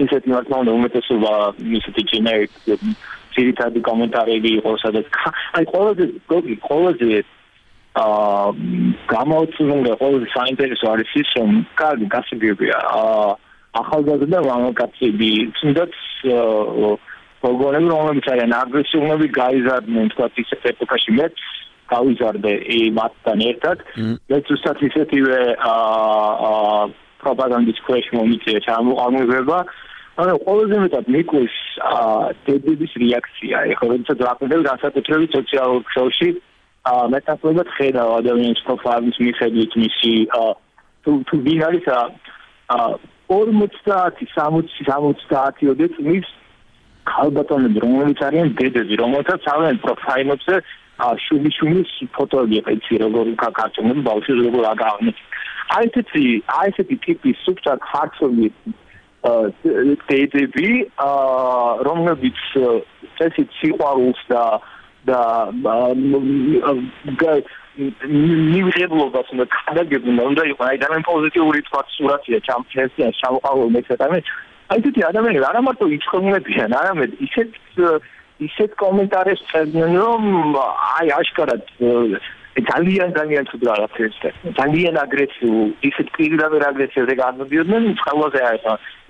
ისეთი მართლა უმეტესობა ისეთი generic ძირითადი კომენტარები იყო სადაც აი ყველაზე გამაოცნული ყველაზე საინტერესო არის ის რომ კარგი გასაგებია ახალგაზრდა მამაკაცები თუნდაც პროგრამები რომლებიც არიან აგრესიულები გაიზარდნენ თქვა ისეთ ეპოქაში მეც გავიზარდე მათთან ერთად და ზუსტად ისეთივე პროპაგანდის ქვეშ მომიწია ჩამოყალიბება ანუ ყველაზე მეტად მიკლის დედების რეაქცია ეხლა როდესაც ვაყენებ განსაკუთრებით სოციალურ ქსელში მეტასწორად ხედავ ადამიანის პროფაილის მიხედვით მისი თუ ვინ არის 50-60-70 წლის ქალბატონები რომლებიც არიან დედები რომელთაც თავენ პროფაილებზე შუბიშუბის ფოტოები ეცი როგორ კაკარჩონები ბავშვი როგორ აგავნენ აი ესეთი ტიპის სუფთა ხარცობი დედები რომლებიც წესით სიყვარულს და ნივიღებლობას უნდა ქადაგებდნენ უნდა იყო აი ძალიან პოზიტიური თქვა სურათია ჩამწესიან ჩამოყალიბ მეცადამე აი ესეთი ადამიანები არა მარტო იწყებულებიან არამედ ისეთ კომენტარებს წერდნენ რომ აი აშკარად ძალიან თუ რაღაცებს ძალიან აგრესიულ ისეთ პირდაპირ აგრესიაზე განმოდიოდნენ ყველაზე არის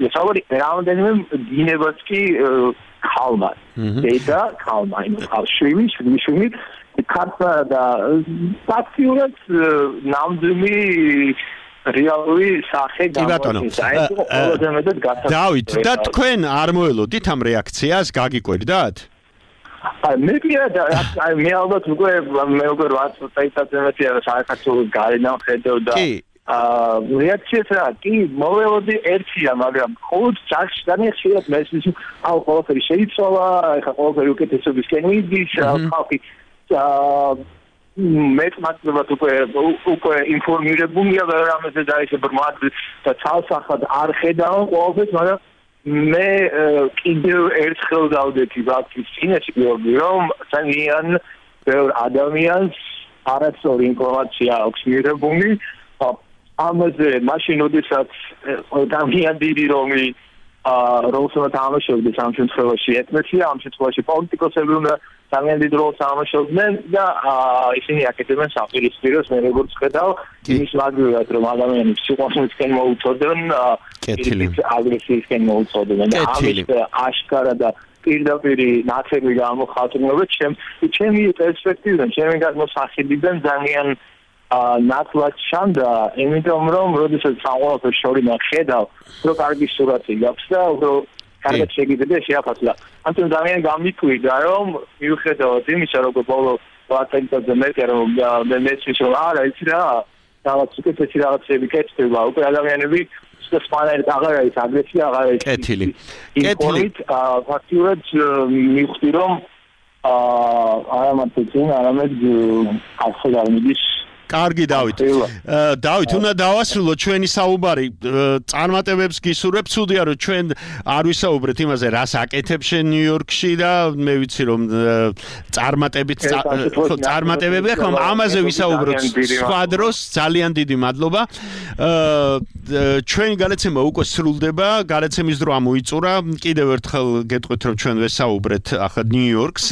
ესავარი რამდენიმე დინებას კი ხალმა დედა ხალმა იმ შვილი ქართლა და ფაქტიურად ნამდვილი რეალური სახე გამოდის. დავით, და თქვენ არ მოელოდით ამ რეაქციას, გაგიკვირდათ? მე ალბათ უკვე 8 წელიწადზე საერთოდ გარედან ხედავ და რეაქციას რა კი მოველოდი ერთია მაგრამ ყოველ წაში ძალიან ხშირად მესმის აუ ყველაფერი შეიცვალა ეხა ყველაფერი უკეთესობისკენ მიდის ხალხი მეტმატებად უკვე ინფორმირებულია რამეზე და ისე ბრმად და ცალსახად არ ხედავ ყველაფერს მაგრამ მე კიდევ ერთხელ დავდექი ვაფის წინაშე რომ ძალიან ბევრ ადამიანს არასწორი ინფორმაცია აქვს მიღებული ამაზე მაშინ ოდესაც ძალიან დიდი რომი როლს თამაშობდნენ ამ შემთხვევაში ეთნოსია ამ შემთხვევაში პოლიტიკოსები უნდა ძალიან დიდ როლს თამაშობდნენ და ისინი აკეთებენ საპირისპიროს მე როგორც ხედავ იმის მაგალითად რომ ადამიანებს სიყვარულისკენ მოუწოდნენ აგრესიისკენ მოუწოდნენ და ამის აშკარა და პირდაპირი ნაცები გამოხატულობენ ჩემი პერსპექტივიდან ჩემი გადმოსახედიდან ძალიან ნათლად ჩანდა იმიტომ რომ როდესაც საყოველთაო შორიდან ხედავ რომ კარგი სურათი გაქვს და უფრო კარგად შეგიძლია შეაფასო ამიტომ ძალიან გამიკვირდა რომ მიუხედავად იმისა რომ ბოლო 20 წელიწადზე მეტი რომ მესმის რომ არა იცი რა რაღაც უკეთესი რაღაცები კეთდება უკვე ადამიანები სპანერით აღარ არის აგრესია აღარ არის კეთილი ფაქტიურად მივხვდი რომ არა მარტო წინ არამედ ახლა გამიდის კარგი დავით. დავით, უნდა დავასრულოთ ჩვენი საუბარი. წარმატებებს გისურვებ. ცუდია რომ ჩვენ არ ვისაუბრეთ იმაზე, რას აკეთებ შენ ნიუ-იორკში და მე ვიცი რომ წარმატებები ხომ ამაზე ვისაუბროთ სხვა დროს. ძალიან დიდი მადლობა. ჩვენი განაცემა უკვე სრულდება. განაცემის დრო ამოიწურა. კიდევ ერთხელ გეტყვით რომ ჩვენ ვესაუბრეთ ახლა ნიუ-იორკს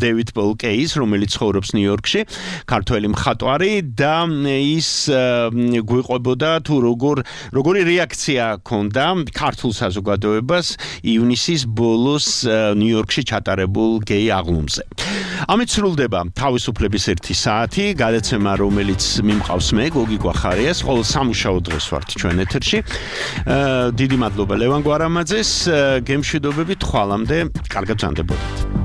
დევიდ პოლ კეის, რომელიც ცხოვრობს ნიუ-იორკში, ქართველი მხატვარი და ის გვიყვებოდა თუ როგორი რეაქცია ჰქონდა ქართულ საზოგადოებას ივნისის ბოლოს ნიუ-იორკში ჩატარებულ გეი აღლუმზე. ამით სრულდება თავისუფლების 1 საათი, გადაცემა რომელიც მიმყავს მე გოგი გვახარიას, ყოველ სამუშაო დღეს ვართ ჩვენ ეთერში. დიდი მადლობა ლევან გვარამაძეს, გემშვიდობებით ხვალამდე, კარგად ბრძანდებოდეთ.